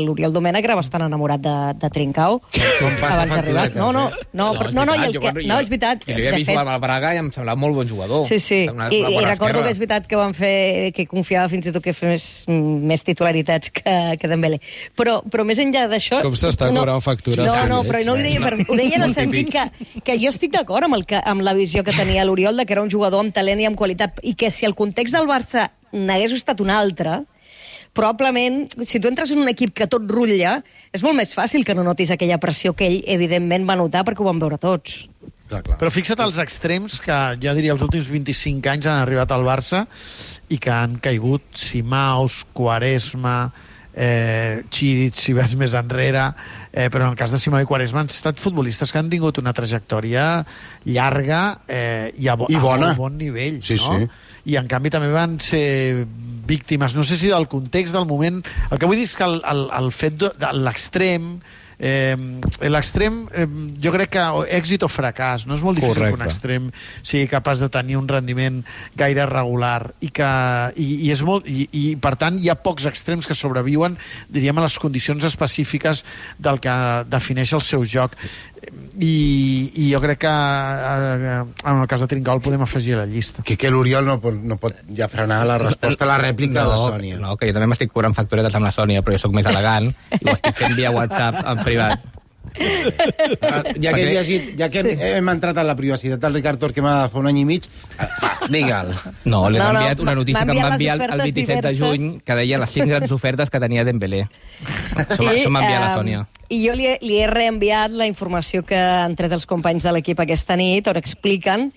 l'Oriol Domènech era bastant enamorat de, de Trincao. Com passa facturetes, no, no, eh? no, no, no, no, i el que, no, és veritat. Jo l'havia vist jugar al Braga i em semblava molt bon jugador. Sí, sí, una, i, una i recordo esquerra. que és veritat que van fer, que confiava fins i tot que fes més titularitats que, que Dembélé. Però, però més enllà d'això... Com s'està no, cobrant factures? No, no, però no ho deia, per, ho deia en el sentit que, que jo estic d'acord amb, el que, amb la visió que tenia l'Oriol, de que era un jugador amb talent i amb qualitat, i que si el context del Barça n'hagués estat un altre, probablement, si tu entres en un equip que tot rutlla, és molt més fàcil que no notis aquella pressió que ell, evidentment, va notar perquè ho van veure tots. Clar, clar. Però fixa't els extrems que jo diria els últims vint-i-cinc anys han arribat al Barça i que han caigut Simaus, Quaresma, eh, Chiric, si vas més enrere, eh, però en el cas de Simao i Quaresma han estat futbolistes que han tingut una trajectòria llarga eh, i a, bo, I bona. a bon nivell, sí, no? Sí. I en canvi també van ser víctimes, no sé si del context del moment, el que vull dir és que el, el, el fet de, de l'extrem Eh, l'extrem, eh, jo crec que èxit o fracàs, no és molt difícil Correcte. que un extrem sigui capaç de tenir un rendiment gaire regular i que i, i és molt i, i per tant hi ha pocs extrems que sobreviuen, diríem, a les condicions específiques del que defineix el seu joc. I, i jo crec que eh, en el cas de Trincao el podem afegir a la llista. Que, que l'Oriol no pot, no pot ja frenar la resposta a la rèplica no, de la Sònia. No, que jo també m'estic cobrant facturetes amb la Sònia, però jo sóc més elegant i ho estic fent via WhatsApp en privat. Ja que, hem llegit, ja que hem, hem entrat en la privacitat del Ricard Torquemada fa un any i mig, va, digue'l. No, li he No, no, enviat una notícia que em va enviar el, el les vint-i-set de juny que deia les cinc grans ofertes que tenia Dembélé. Això, I, això m'ha enviat la eh, Sònia. I jo li he, li he reenviat la informació que han tret els companys de l'equip aquesta nit, on expliquen,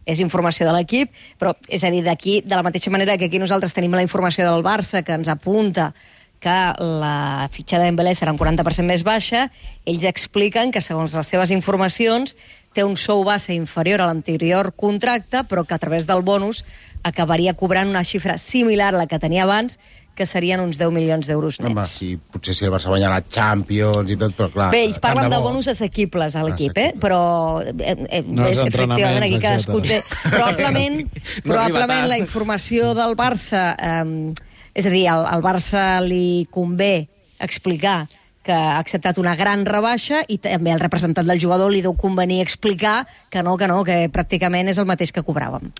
és informació de l'equip, però és a dir, d'aquí, de la mateixa manera que aquí nosaltres tenim la informació del Barça, que ens apunta que la fitxa de Dembélé serà un quaranta per cent més baixa, ells expliquen que, segons les seves informacions, té un sou base inferior a l'anterior contracte, però que a través del bonus acabaria cobrant una xifra similar a la que tenia abans, que serien uns deu milions d'euros nets. Home, sí, potser si el Barça guanya la Champions i tot, però clar... Bé, ells parlen tant de bo. bonus assequibles a l'equip, eh? però eh, eh, No, els és, efectivament, aquí entrenaments, cadascú té... Probablement, No probablement arriba la informació del Barça... Eh, és a dir, al, al Barça li convé explicar que ha acceptat una gran rebaixa i també al representant del jugador li deu convenir explicar que no, que no, que pràcticament és el mateix que cobràvem.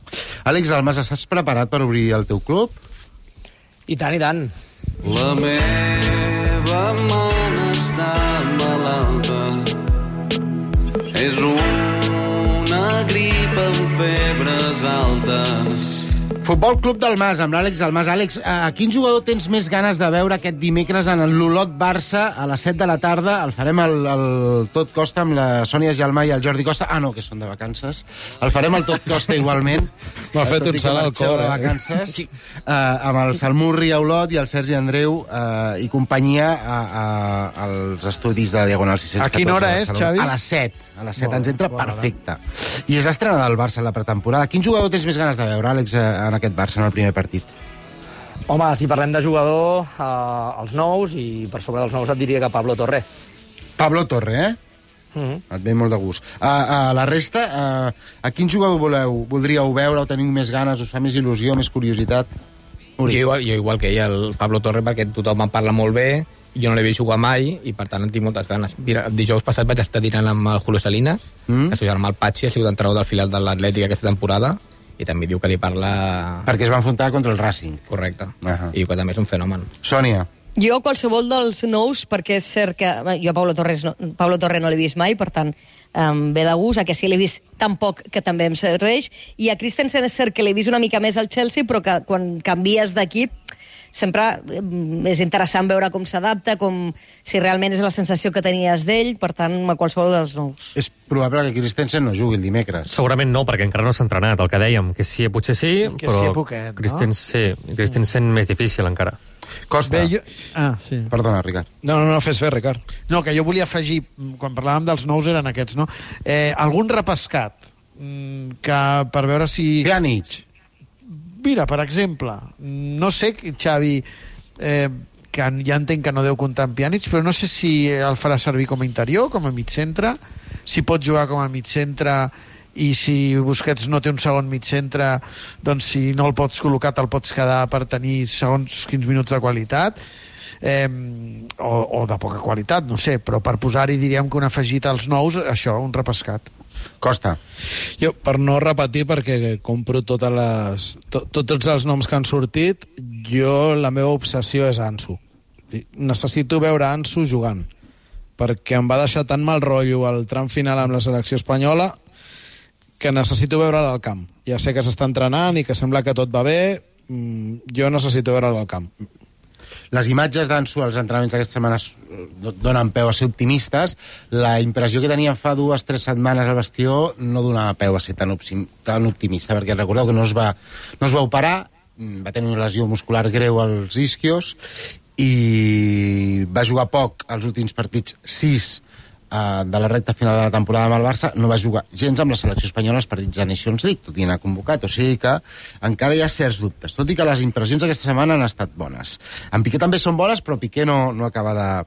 Àlex Dalmas, estàs preparat per obrir el teu club? I tant, i tant. La meva mana està malalta. És una grip amb febres altes. Futbol Club del Mas, amb l'Àlex Dalmas. Àlex, a quin jugador tens més ganes de veure aquest dimecres en l'Olot Barça a les set de la tarda? El farem el, el Tot Costa amb la Sònia Gelmà i el Jordi Costa. Ah, no, que són de vacances. El farem el Tot Costa igualment. M'ha fet un salt al cor, de eh? vacances. Uh, amb el Salmurri a Olot i el Sergi Andreu uh, i companyia a, a, als estudis de Diagonal sis cents catorze. A quina hora és, Xavi? A les set. A les set Bona, ens entra bona perfecte. I és l'estrena del Barça en la pretemporada. Quin jugador tens més ganes de veure, Àlex, en aquest Barça, en el primer partit? Home, si parlem de jugador, eh, els nous, i per sobre dels nous et diria que Pablo Torre. Pablo Torre, eh? Mm-hmm. Et ve molt de gust. A, a la resta, a, a quin jugador voleu, voldríeu veure o teniu més ganes, us fa més il·lusió, més curiositat? Jo igual, jo igual que ell, el Pablo Torre, perquè tothom en parla molt bé, jo no l'he vist jugar mai i per tant en tinc moltes ganes. Mira, el dijous passat vaig estar dinant amb el Julio Salinas, mm. que el seu germà el Patxi ha sigut entrenador del filial de l'Atlètic aquesta temporada i també diu que li parla... Perquè es va enfrontar contra el Racing. Correcte. Uh -huh. I que també és un fenomen. Sònia. Jo, qualsevol dels nous, perquè és cert que... Bé, jo Pablo Torres no, Pablo Torre no l'he vist mai, per tant, em ve de gust. A que sí l'he vist tan poc que també em serveix. I a Christensen és cert que l'he vist una mica més al Chelsea, però que quan canvies d'equip sempre és interessant veure com s'adapta, com si realment és la sensació que tenies d'ell, per tant, a qualsevol dels nous. És probable que Christensen no jugui el dimecres. Segurament no, perquè encara no s'ha entrenat, el que dèiem, que sí, potser sí, que però sí, poquet, no? Christensen, sí, Christensen més difícil encara. Costa. Bé, jo... Ah, sí. Perdona, Ricard. No, no, no, fes fer, Ricard. No, que jo volia afegir, quan parlàvem dels nous eren aquests, no? Eh, algun repescat que per veure si... Pjanic. Mira, per exemple, no sé, Xavi, eh, que ja entenc que no deu comptar amb Pjanic, però no sé si el farà servir com a interior, com a mig centre, si pot jugar com a mig centre i si Busquets no té un segon mig centre, doncs si no el pots col·locar te'l pots quedar per tenir segons quins minuts de qualitat, eh, o, o de poca qualitat, no sé, però per posar-hi diríem que un afegit als nous, això, un repescat. Costa. Jo, per no repetir, perquè compro totes les, to, tots els noms que han sortit, jo la meva obsessió és Ansu. Necessito veure Ansu jugant, perquè em va deixar tan mal rotllo el tram final amb la selecció espanyola que necessito veure'l al camp. Ja sé que s'està entrenant i que sembla que tot va bé, jo necessito veure'l al camp. Les imatges d'Ansu als entrenaments d'aquesta setmana donen peu a ser optimistes. La impressió que teníem fa dues o tres setmanes al vestidor no donava peu a ser tan, tan optimista, perquè recordeu que no es va, no es va operar, va tenir una lesió muscular greu als isquios i va jugar poc als últims partits, sis de la recta final de la temporada amb el Barça. No va jugar gens amb la selecció espanyola als partits de Nations League, tot i anar convocat, o sigui que encara hi ha certs dubtes, tot i que les impressions aquesta setmana han estat bones. En Piqué també són bones, però Piqué no, no acaba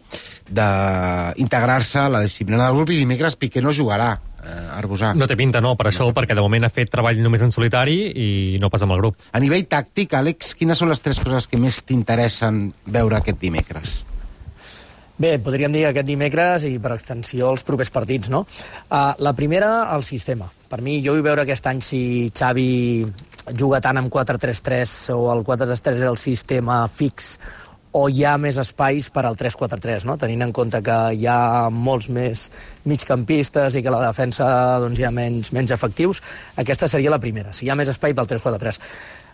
d'integrar-se a la disciplina del grup i dimecres Piqué no jugarà. Eh, Arbusà. No té pinta, no, per això, perquè de moment ha fet treball només en solitari i no pas amb el grup. A nivell tàctic, Àlex, quines són les tres coses que més t'interessen veure aquest dimecres? Bé, podríem dir aquest dimecres i per extensió els propers partits, no? Uh, la primera, el sistema. Per mi, jo vull veure aquest any si Xavi juga tant amb quatre tres tres o el quatre tres tres és el sistema fix o hi ha més espais per al tres quatre tres, no? Tenint en compte que hi ha molts més migcampistes i que la defensa doncs, hi ha menys, menys efectius, aquesta seria la primera, si hi ha més espai pel tres quatre tres.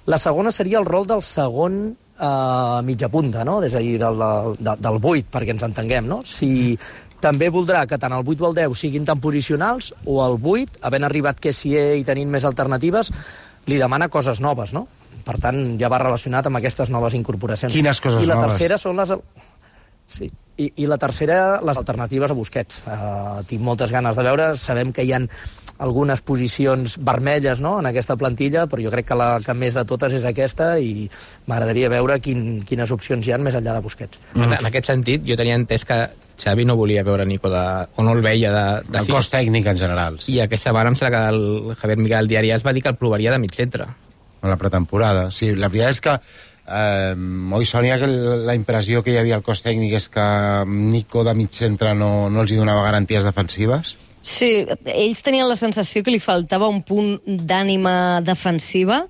La segona seria el rol del segon eh, mitja punta, no? És a dir, del, del, del vuit, perquè ens entenguem, no? Si també voldrà que tant el vuit o el deu siguin tan posicionals, o el vuit, havent arribat Kessié i tenint més alternatives, li demana coses noves, no? Per tant, ja va relacionat amb aquestes noves incorporacions. Quines coses noves? I la tercera són les... Sí. I, I la tercera, les alternatives a Busquets. Uh, tinc moltes ganes de veure. Sabem que hi ha algunes posicions vermelles, no?, en aquesta plantilla, però jo crec que la que més de totes és aquesta i m'agradaria veure quin, quines opcions hi ha més enllà de Busquets. Mm. En aquest sentit, jo tenia entès que Xavi no volia veure Nico de, o no el veia de, de el cos tècnic en general. I aquesta setmana em sembla que el Javier Miguel al diari es va dir que el provaria de mig centre. En la pretemporada. Sí, la veritat és que eh, oi, Sònia, que la impressió que hi havia al cos tècnic és que Nico de mig centre no, no els hi donava garanties defensives? Sí, ells tenien la sensació que li faltava un punt d'ànima defensiva.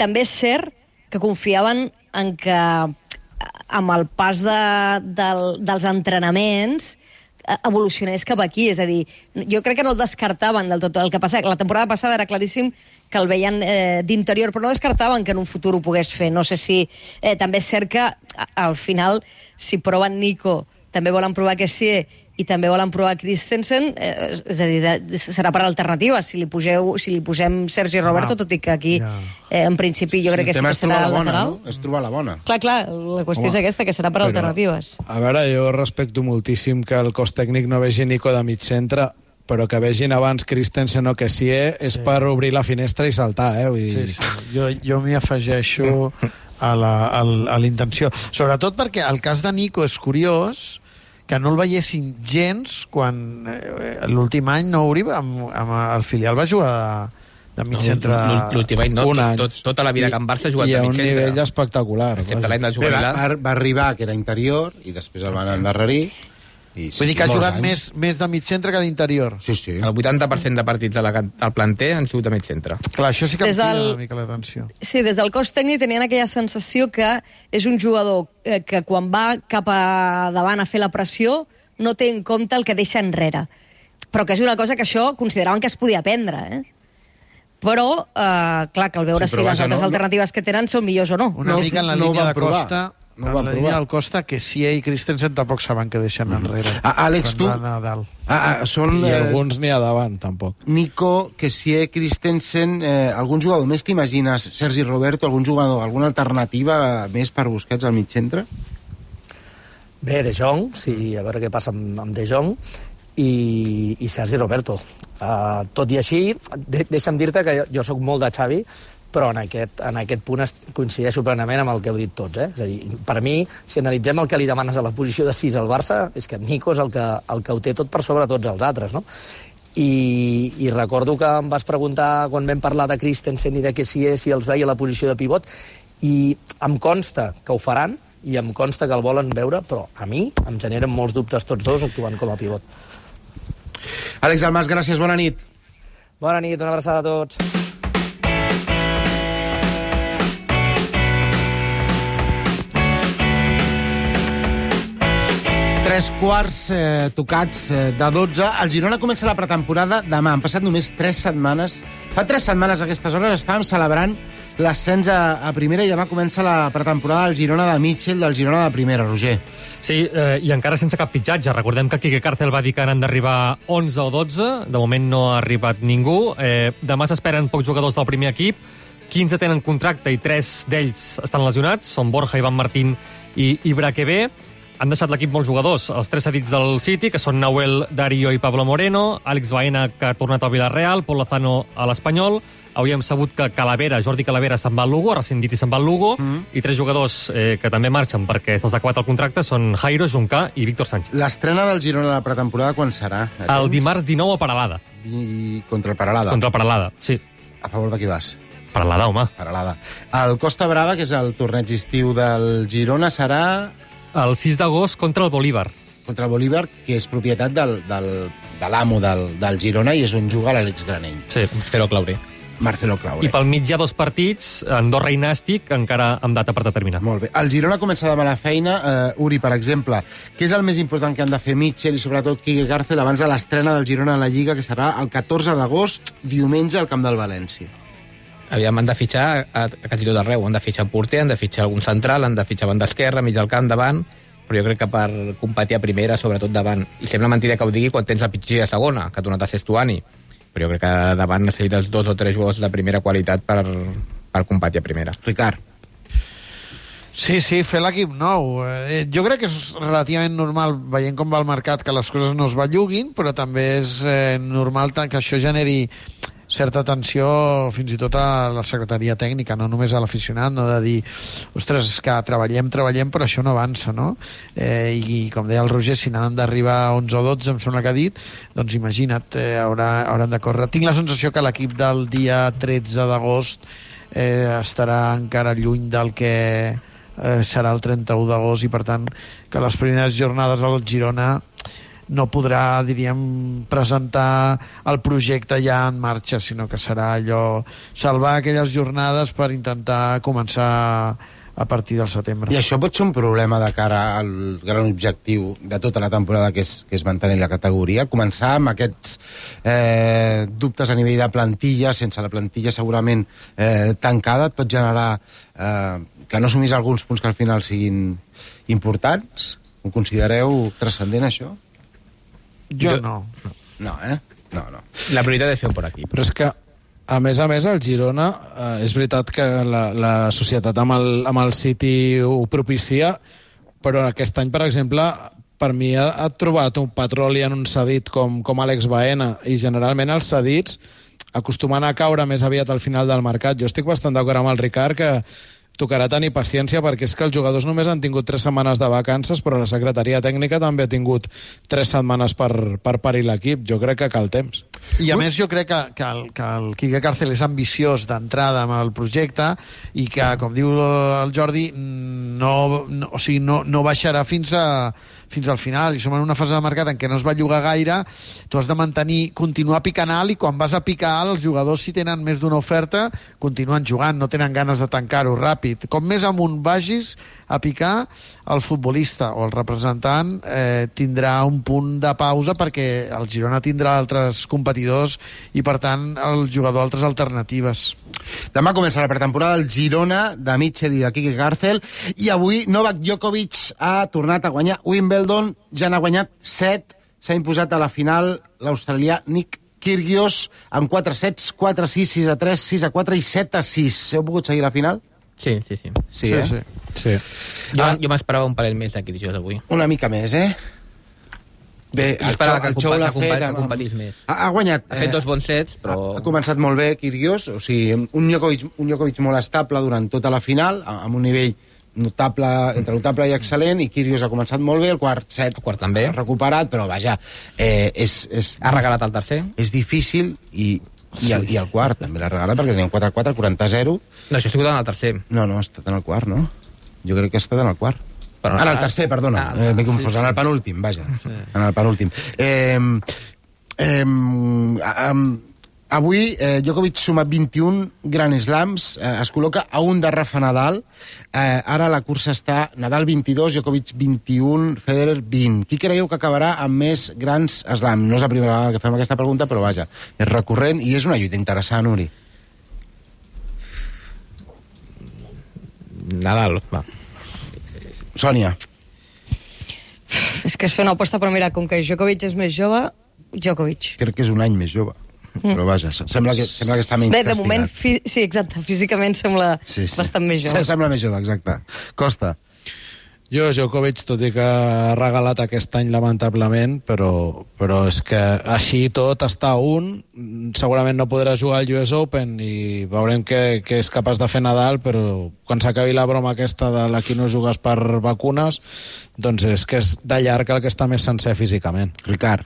També és cert que confiaven en que amb el pas de, del, dels entrenaments evolucionés cap aquí, és a dir, jo crec que no el descartaven del tot. El que passa, la temporada passada era claríssim que el veien eh, d'interior, però no descartaven que en un futur ho pogués fer. No sé si... Eh, també és cert que al final, si proven Nico, també volen provar Kessié i també volen provar Christensen, eh, és a dir, de, serà per alternativa. Si li, pugeu, si li posem Sergi Roberto, tot i que aquí, eh, en principi, jo sí, crec que sí que serà la bona, lateral. No? És trobar la bona. Clar, clar, la qüestió Home, és aquesta, que serà per però, alternatives. A veure, jo respecto moltíssim que el cos tècnic no vegi Nico de mig centre, però que vegin abans Christensen o Kessié és sí. per obrir la finestra i saltar, eh? Vull dir... Sí, sí. Jo, jo m'hi afegeixo a la, a, a la intenció. Sobretot perquè el cas de Nico és curiós, que no el veiessin gens quan eh, l'últim any no obri amb, amb el filial va jugar de, de mig no, centre l'últim any no, tot, tot, tota la vida que en Barça ha jugat de mig centre i a un nivell espectacular excepte l'any del Bé, va, va arribar que era interior i després el van endarrerir i, vull dir que ha jugat més, més de mig centre que d'interior. Sí, sí. El vuitanta per cent de partits de la, del planter han sigut de mig centre. Clar, això sí que Des em crida del... una mica l'atenció. Sí, des del cos tècnic tenien aquella sensació que és un jugador eh, que quan va cap a davant a fer la pressió no té en compte el que deixa enrere. Però que és una cosa que això consideraven que es podia aprendre, eh? Però, eh, clar, cal veure sí, si les altres no, alternatives que tenen són millors o no. Una no, mica en la no línia de provar. Costa... No en la línia del Costa, que si ell i Christensen tampoc saben que deixen enrere. Ah, Àlex, tu... Ah, ah, són, I eh, alguns n'hi ha davant, tampoc. Nico, Kessié, Christensen... Eh, algun jugador més t'imagines? Sergi Roberto, algun jugador, alguna alternativa més per Busquets al mig centre? Bé, De Jong, sí, a veure què passa amb, amb De Jong, i, i Sergi Roberto. Uh, tot i així, de, deixa'm dir-te que jo, jo sóc molt de Xavi, però en aquest, en aquest punt coincideixo plenament amb el que heu dit tots. Eh? És a dir, per mi, si analitzem el que li demanes a la posició de sis al Barça, és que Nico és el que, el que ho té tot per sobre tots els altres, no? I, i recordo que em vas preguntar quan vam parlar de Christensen i de Kessié si els veia a la posició de pivot, i em consta que ho faran, i em consta que el volen veure, però a mi em generen molts dubtes tots dos actuant com a pivot. Àlex Almas, gràcies, bona nit. Bona nit, una abraçada a tots. Tres quarts eh, tocats eh, de dotze. El Girona comença la pretemporada demà. Han passat només tres setmanes. Fa tres setmanes a aquestes hores estàvem celebrant l'ascens a, a primera i demà comença la pretemporada del Girona de Mitchell, del Girona de primera, Roger. Sí, eh, i encara sense cap fitxatge. Recordem que Quique Cárcel va dir que n'han d'arribar onze o dotze. De moment no ha arribat ningú. Eh, demà s'esperen pocs jugadors del primer equip. quinze tenen contracte i tres d'ells estan lesionats. Són Borja, Ivan Martín i Ibraquebé. Han deixat l'equip molts jugadors. Els tres cedits del City, que són Nahuel, Darío i Pablo Moreno, Àlex Baena, que ha tornat al Villarreal, Pol Lozano a l'Espanyol. Avui hem sabut que Calavera, Jordi Calavera se'n va al Lugo, ha rescindit i se'n va al Lugo, mm. i tres jugadors eh, que també marxen perquè se'ls ha acabat el contracte són Jairo, Juncà i Víctor Sánchez. L'estrena del Girona a la pretemporada quan serà? El dimarts dinou a Peralada. I contra el Peralada? Contra el Peralada, sí. A favor de qui vas? Peralada, home. Peralada. El Costa Brava, que és el torneig estiu del Girona, serà... El sis d'agost contra el Bolívar. Contra el Bolívar, que és propietat del, del, de l'amo del, del Girona i és on juga l'Àlex Granell. Sí, Marcelo Claure. Marcelo Claure. I pel mig hi ha dos partits, Andorra i Nàstic, encara amb data per determinar. Molt bé. El Girona comença demà la feina. Uh, Uri, per exemple, què és el més important que han de fer Mitchell i sobretot Quique Cárcel abans de l'estrena del Girona a la Lliga, que serà el catorze d'agost, diumenge, al camp del València? Aviam, han de fitxar a, a quasi tot arreu. Han de fitxar porter, han de fitxar algun central, han de fitxar banda esquerra, mig del camp, davant, però jo crec que per competir a primera, sobretot davant. I sembla mentida que ho digui quan tens la pitxer a segona, que ha tornat a ser Estuani. Però jo crec que davant necessites dos o tres jugadors de primera qualitat per, per competir a primera. Ricard. Sí, sí, fer l'equip nou. Eh, jo crec que és relativament normal, veient com va el mercat, que les coses no es belluguin, però també és eh, normal que això generi certa tensió fins i tot a la secretaria tècnica, no només a l'aficionat, no de dir, ostres, és que treballem, treballem, però això no avança, no? Eh, i, I com deia el Roger, si n'han d'arribar onze o dotze, em sembla que ha dit, doncs imagina't, eh, haurà, hauran de córrer. Tinc la sensació que l'equip del dia tretze d'agost eh, estarà encara lluny del que eh, serà el trenta-u d'agost i, per tant, que les primeres jornades al Girona no podrà, diríem, presentar el projecte ja en marxa, sinó que serà allò, salvar aquelles jornades per intentar començar a partir del setembre. I això pot ser un problema de cara al gran objectiu de tota la temporada, que és, que és mantenir la categoria, començar amb aquests eh, dubtes a nivell de plantilla, sense la plantilla segurament eh, tancada, et pot generar eh, que no assumís alguns punts que al final siguin importants? Ho considereu transcendent, això? Jo no. No, eh? No, no. La prioritat és fer-ho per aquí. Però és que, a més a més, el Girona, eh, és veritat que la, la societat amb el, amb el City ho propicia, però aquest any, per exemple, per mi ha, ha trobat un petroli en un cedit com, com Àlex Baena, i generalment els cedits acostumen a caure més aviat al final del mercat. Jo estic bastant d'acord amb el Ricard que tocarà tenir paciència, perquè és que els jugadors només han tingut tres setmanes de vacances, però la secretaria tècnica també ha tingut tres setmanes per, per parir l'equip. Jo crec que cal temps. I a més jo crec que, que, el, que el Quique Cárcel és ambiciós d'entrada amb el projecte i que, com diu el Jordi, no, no, o sigui, no, no baixarà fins a fins al final, i som en una fase de mercat en què no es va llogar gaire, tu has de mantenir, continuar picant alt, i quan vas a picar alt, els jugadors, si tenen més d'una oferta, continuen jugant, no tenen ganes de tancar-ho ràpid. Com més amunt vagis a picar, el futbolista o el representant eh, tindrà un punt de pausa, perquè el Girona tindrà altres competidors i, per tant, el jugador altres alternatives. Demà comença la pretemporada del Girona, de Mitchell i de Quique Cárcel, i avui Novak Djokovic ha tornat a guanyar Wimbledon, ja n'ha guanyat set, s'ha imposat a la final l'australià Nick Kyrgios en quatre sets, quatre a sis, sis a tres, sis a quatre i set a sis. Heu pogut seguir la final? Sí, sí, sí. Sí, sí, eh? sí. sí. Jo, ah. jo m'esperava un parell més de Kyrgios avui. Una mica més, eh? Bé, jo esperava que, que, compa que, fet, que competís més. Ha, ha guanyat... Ha fet dos bons sets, però... Ha, ha començat molt bé, Kyrgios, o sigui, un Djokovic, un Djokovic molt estable durant tota la final, amb un nivell notable, entre notable i excel·lent, i Kyrgios ha començat molt bé, el quart set el quart també. Ha recuperat, però vaja, eh, és, és... Ha regalat el tercer. És difícil, i, i, el, i el quart també l'ha regalat, perquè tenia un quatre a quatre, quaranta a zero. No, això ha sigut en el tercer. No, no, ha estat en el quart, no? Jo crec que ha estat en el quart. Però, en el tercer, perdona, ah, eh, m'he confós, sí, sí. En el penúltim, vaja, sí. En el penúltim. Eh, eh, eh, avui eh, Djokovic suma vint-i-un Grand Slams, eh, es col·loca a un de Rafa Nadal, eh, ara la cursa està Nadal vint-i-dos, Djokovic vint-i-un, Federer vint. Qui creieu que acabarà amb més Grans Slams? No és la primera vegada que fem aquesta pregunta, però vaja, és recurrent i és una lluita interessant, Uri. Nadal, va. Sònia. És que és fer una aposta, però mira, com que Djokovic és més jove, Djokovic. Crec que és un any més jove. Mm. Però vaja, sembla que, sembla que està menys Bé, de castigat. moment, fi... sí, exacte, físicament sembla sí, sí. bastant més jove. Sí, sembla més jove, exacte. Costa. Jo, Djokovic, tot i que ha regalat aquest any lamentablement, però, però és que així tot està a un, segurament no podrà jugar al U S Open i veurem què, què és capaç de fer Nadal, però quan s'acabi la broma aquesta de l'aquí no jugues per vacunes, doncs és que és de llarg el que està més sencer físicament. Ricard.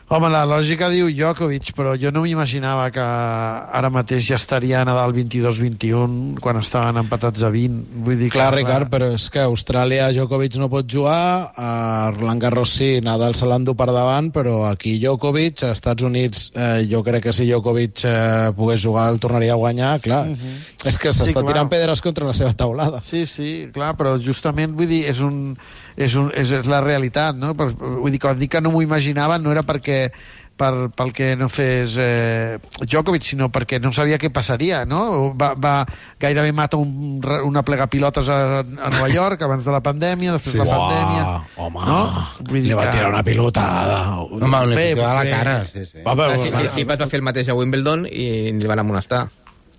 Home, la lògica diu Djokovic, però jo no m'imaginava que ara mateix ja estaria a Nadal vint-i-dos vint-i-un quan estaven empatats a vint. Vull dir Clar, que... Ricard, però és que a Austràlia Djokovic no pot jugar, a Roland Garros sí, Nadal se l'endú per davant, però aquí Djokovic, a Estats Units, eh, jo crec que si Djokovic eh, pogués jugar el tornaria a guanyar, clar. Uh -huh. És que s'està Sí, clar. tirant pedres contra la seva taulada. Sí, sí, clar, però justament, vull dir, és un... És, un, és, és la realitat, no? Per, vull dir, quan dic que no m'ho imaginava no era perquè per, pel que no fes eh, Djokovic, sinó perquè no sabia què passaria, no? Va, va gairebé mata un, una plegapilotes a, a Nova York abans de la pandèmia, després Sí. de la Uah, pandèmia... home, no? Vull li va que- tirar una pilotada. Home, li Bé, va a la bé. cara. Sí, sí. Va, però, Sí, sí, Tsitsipas va fer el mateix a Wimbledon i li van amonestar.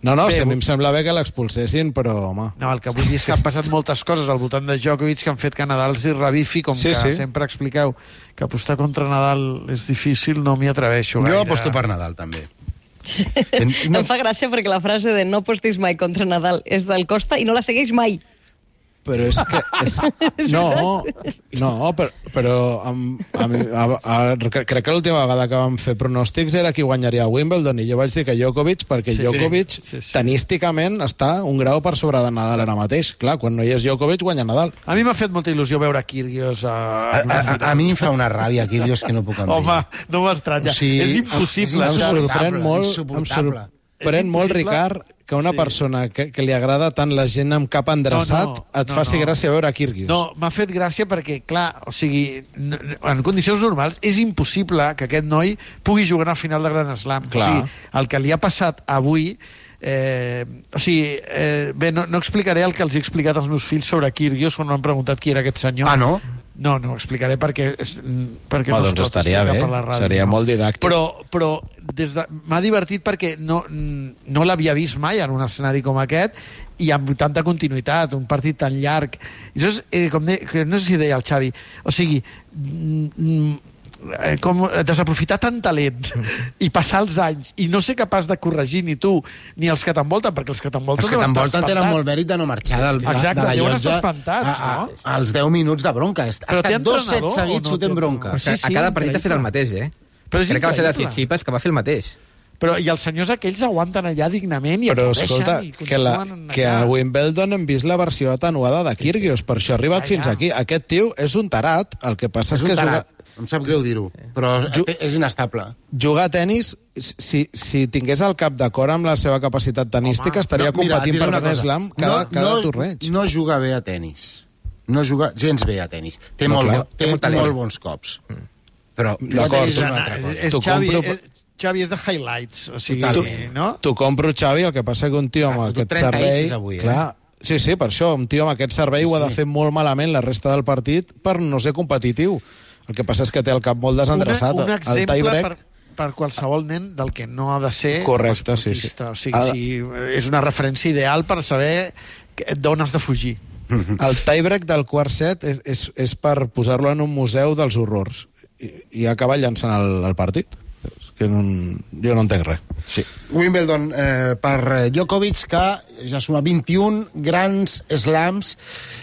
No, no, Bé, sí, a mi bu- em sembla bé que l'expulsessin, però, home... No, el que vull dir és que han passat moltes coses al voltant de Djokovic que han fet que Nadal s'hi revifi, com Sí, que sí. sempre expliqueu que apostar contra Nadal és difícil, no m'hi atreveixo gaire. Jo aposto per Nadal, també. No. Em fa gràcia perquè la frase de no apostis mai contra Nadal és del Costa i no la segueix mai. Però és que... És... No, no, però, però amb, amb, a, a, crec que l'última vegada que vam fer pronòstics era qui guanyaria a Wimbledon, i jo vaig dir que Djokovic, perquè Sí, Djokovic sí, sí, sí. tenísticament està un grau per sobre de Nadal ara mateix. Clar, quan no hi és Djokovic, guanya Nadal. A mi m'ha fet molta il·lusió veure Kyrgios a... A, a, a, a mi em fa una ràbia, Kyrgios, que no puc amb Home, ell. no m'estranya. O sigui, és impossible. és Em saps? sorprèn molt, em insuportable. sorprèn És molt, impossible. Ricard, que una Sí. persona que, que li agrada tant la gent amb cap endreçat No, no, et no, faci no. gràcia veure Kyrgios. No, m'ha fet gràcia perquè, clar, o sigui, n- n- en condicions normals és impossible que aquest noi pugui jugar a final de Grand Slam. Clar. O sigui, el que li ha passat avui... Eh, o sigui, eh, bé, no, no explicaré el que els he explicat als meus fills sobre Kyrgios quan m'han preguntat qui era aquest senyor. Ah, no? No, no ho explicaré perquè, és, perquè Ah, no es doncs pot estaria explicar bé, per la ràdio, seria no. molt didàctic. Però, però des de, m'ha divertit perquè no, no l'havia vist mai en un escenari com aquest i amb tanta continuïtat, un partit tan llarg. I això és, eh, com de, que no sé si deia el Xavi, o sigui, mm, eh, com desaprofitar tant talent i passar els anys i no ser capaç de corregir ni tu ni els que t'envolten, perquè els que t'envolten Els que deuen estar t'envolten tenen espantats. molt mèrit de no marxar del, de, Exacte, de la deuen llotja estar espantats, a, a, no? als deu minuts de bronca. Ha Però té estat dos sets entrenador o seguits no té fotent bronca. entrenador? O sigui, Sí, sí, a cada partit ha fet el increïble. mateix, eh? Però és Crec que va ser de increïble. Tsitsipas que va fer el mateix. Però, i els senyors aquells aguanten allà dignament i Però, aplaudeixen escolta, i que, la, continuen que a allà. Wimbledon hem vist la versió atenuada de Kyrgios, per això ha arribat Ja, fins ja. aquí. Aquest tio és un tarat, el que passa és, És que un juga, tarat. Em sap greu dir-ho, però Ju- és inestable. jugar a tennis, si, si tingués el cap d'acord amb la seva capacitat tenística, Home, estaria No, mira, competint et diré per una Grand cosa. Slam cada, no, cada no, torneig. No juga bé a tennis. No juga gens bé a tennis. Té, No, molt, clar, bo, té, té molt talent. molt bons cops. Però D'acord. no és una altra cosa. És T'ho Xavi, compro- és, Xavi és de highlights, o sigui, Totalment. no? T'ho compro, Xavi, el que passa que un tio Ha amb fotut aquest trenta servei... aces avui, eh? clar, sí, sí, per això, un tio amb aquest servei Sí, ho ha de sí. fer molt malament la resta del partit per no ser competitiu. El que passa és que té el cap molt desendreçat. Una, un el exemple tie-break, per, per qualsevol nen del que no ha de ser Correcte, sí, sí. esportista. O sigui, Ha de- si, és una referència ideal per saber que- d'on has de fugir. el tie-break del quart set és, és, és per posar-lo en un museu dels horrors i, i acabar llançant el, el partit. És que no, jo no entenc res. Sí. Wimbledon eh, per Djokovic, que ja suma vint-i-un grans slams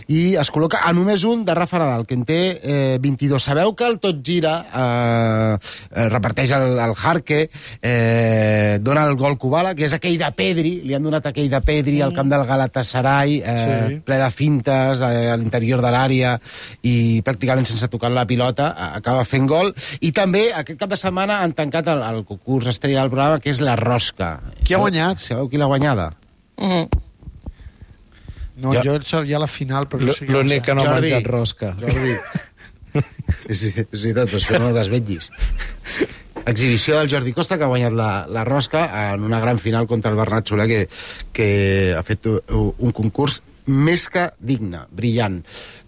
i es col·loca a només un de Rafa Nadal, que en té eh, vint-i-dos. Sabeu que el Tot Gira eh, eh, reparteix el, el Jarque, eh, dona el gol Kubala, que és aquell de Pedri, li han donat aquell de Pedri al camp del Galatasaray, eh, Sí. ple de fintes eh, a l'interior de l'àrea i pràcticament sense tocar la pilota, a- acaba fent gol. I també aquest cap de setmana han tancat el, el concurs estrella del programa, que és la Rosca. Qui ha Sabeu- guanyat? Sabeu qui l'ha guanyada? Mm. No, Jo- jo, jo sabia la final, però no sé què L'únic que no ha Jordi. menjat rosca. Jordi. és, és veritat, però això no ho desvetllis. Exhibició del Jordi Costa, que ha guanyat la, la rosca en una gran final contra el Bernat Soler, que, que ha fet un concurs més que digne, brillant,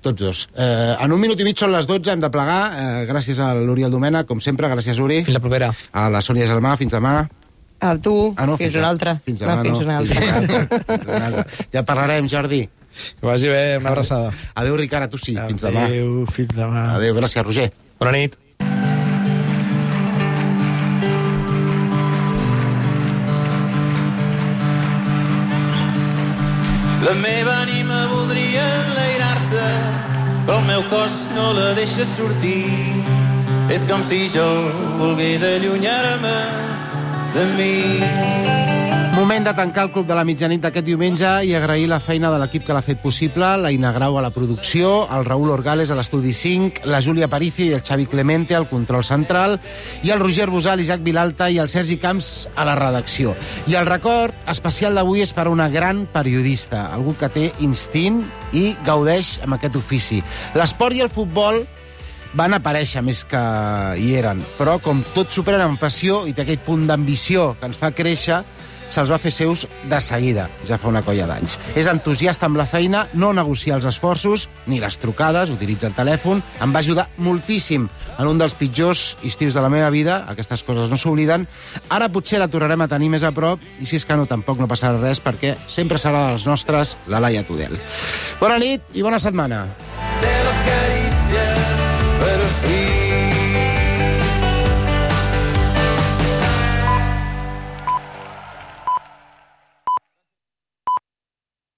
tots dos. Eh, en un minut i mig són les dotze, hem de plegar. Eh, gràcies a l'Uriel Domènech, com sempre, gràcies, Uri. Fins la propera. A la Sònia Gelmà, fins demà. A tu, ah, no, fins, fins una altra. Fins demà, no. Fins una altra. Fins una altra. Fins una altra. Ja parlarem, Jordi. Que vagi bé, una abraçada. Adéu, Ricard, a tu sí. Fins demà. Adéu, fins demà. Adéu, gràcies, Roger. Bona nit. La meva ànima voldria enlairar-se, però el meu cos no la deixa sortir. És com si jo volgués allunyar-me de mi. Moment de tancar el Club de la Mitjanit d'aquest diumenge i agrair la feina de l'equip que l'ha fet possible, la Ina Grau a la producció, el Raül Orgales a l'estudi cinc, la Júlia Aparicio i el Xavi Clemente al control central, i el Roger Busal, Isaac Vilalta i el Sergi Camps a la redacció. I el record especial d'avui és per a una gran periodista, algú que té instint i gaudeix amb aquest ofici. L'esport i el futbol van aparèixer més que hi eren, però com tot superen amb passió i té aquell punt d'ambició que ens fa créixer, se'ls va fer seus de seguida, ja fa una colla d'anys. És entusiasta amb la feina, no negocia els esforços, ni les trucades, utilitza el telèfon, em va ajudar moltíssim en un dels pitjors estius de la meva vida, aquestes coses no s'obliden. Ara potser la tornarem a tenir més a prop, i si és que no, tampoc no passarà res, perquè sempre serà de les nostres, la Laia Tudel. Bona nit i bona setmana.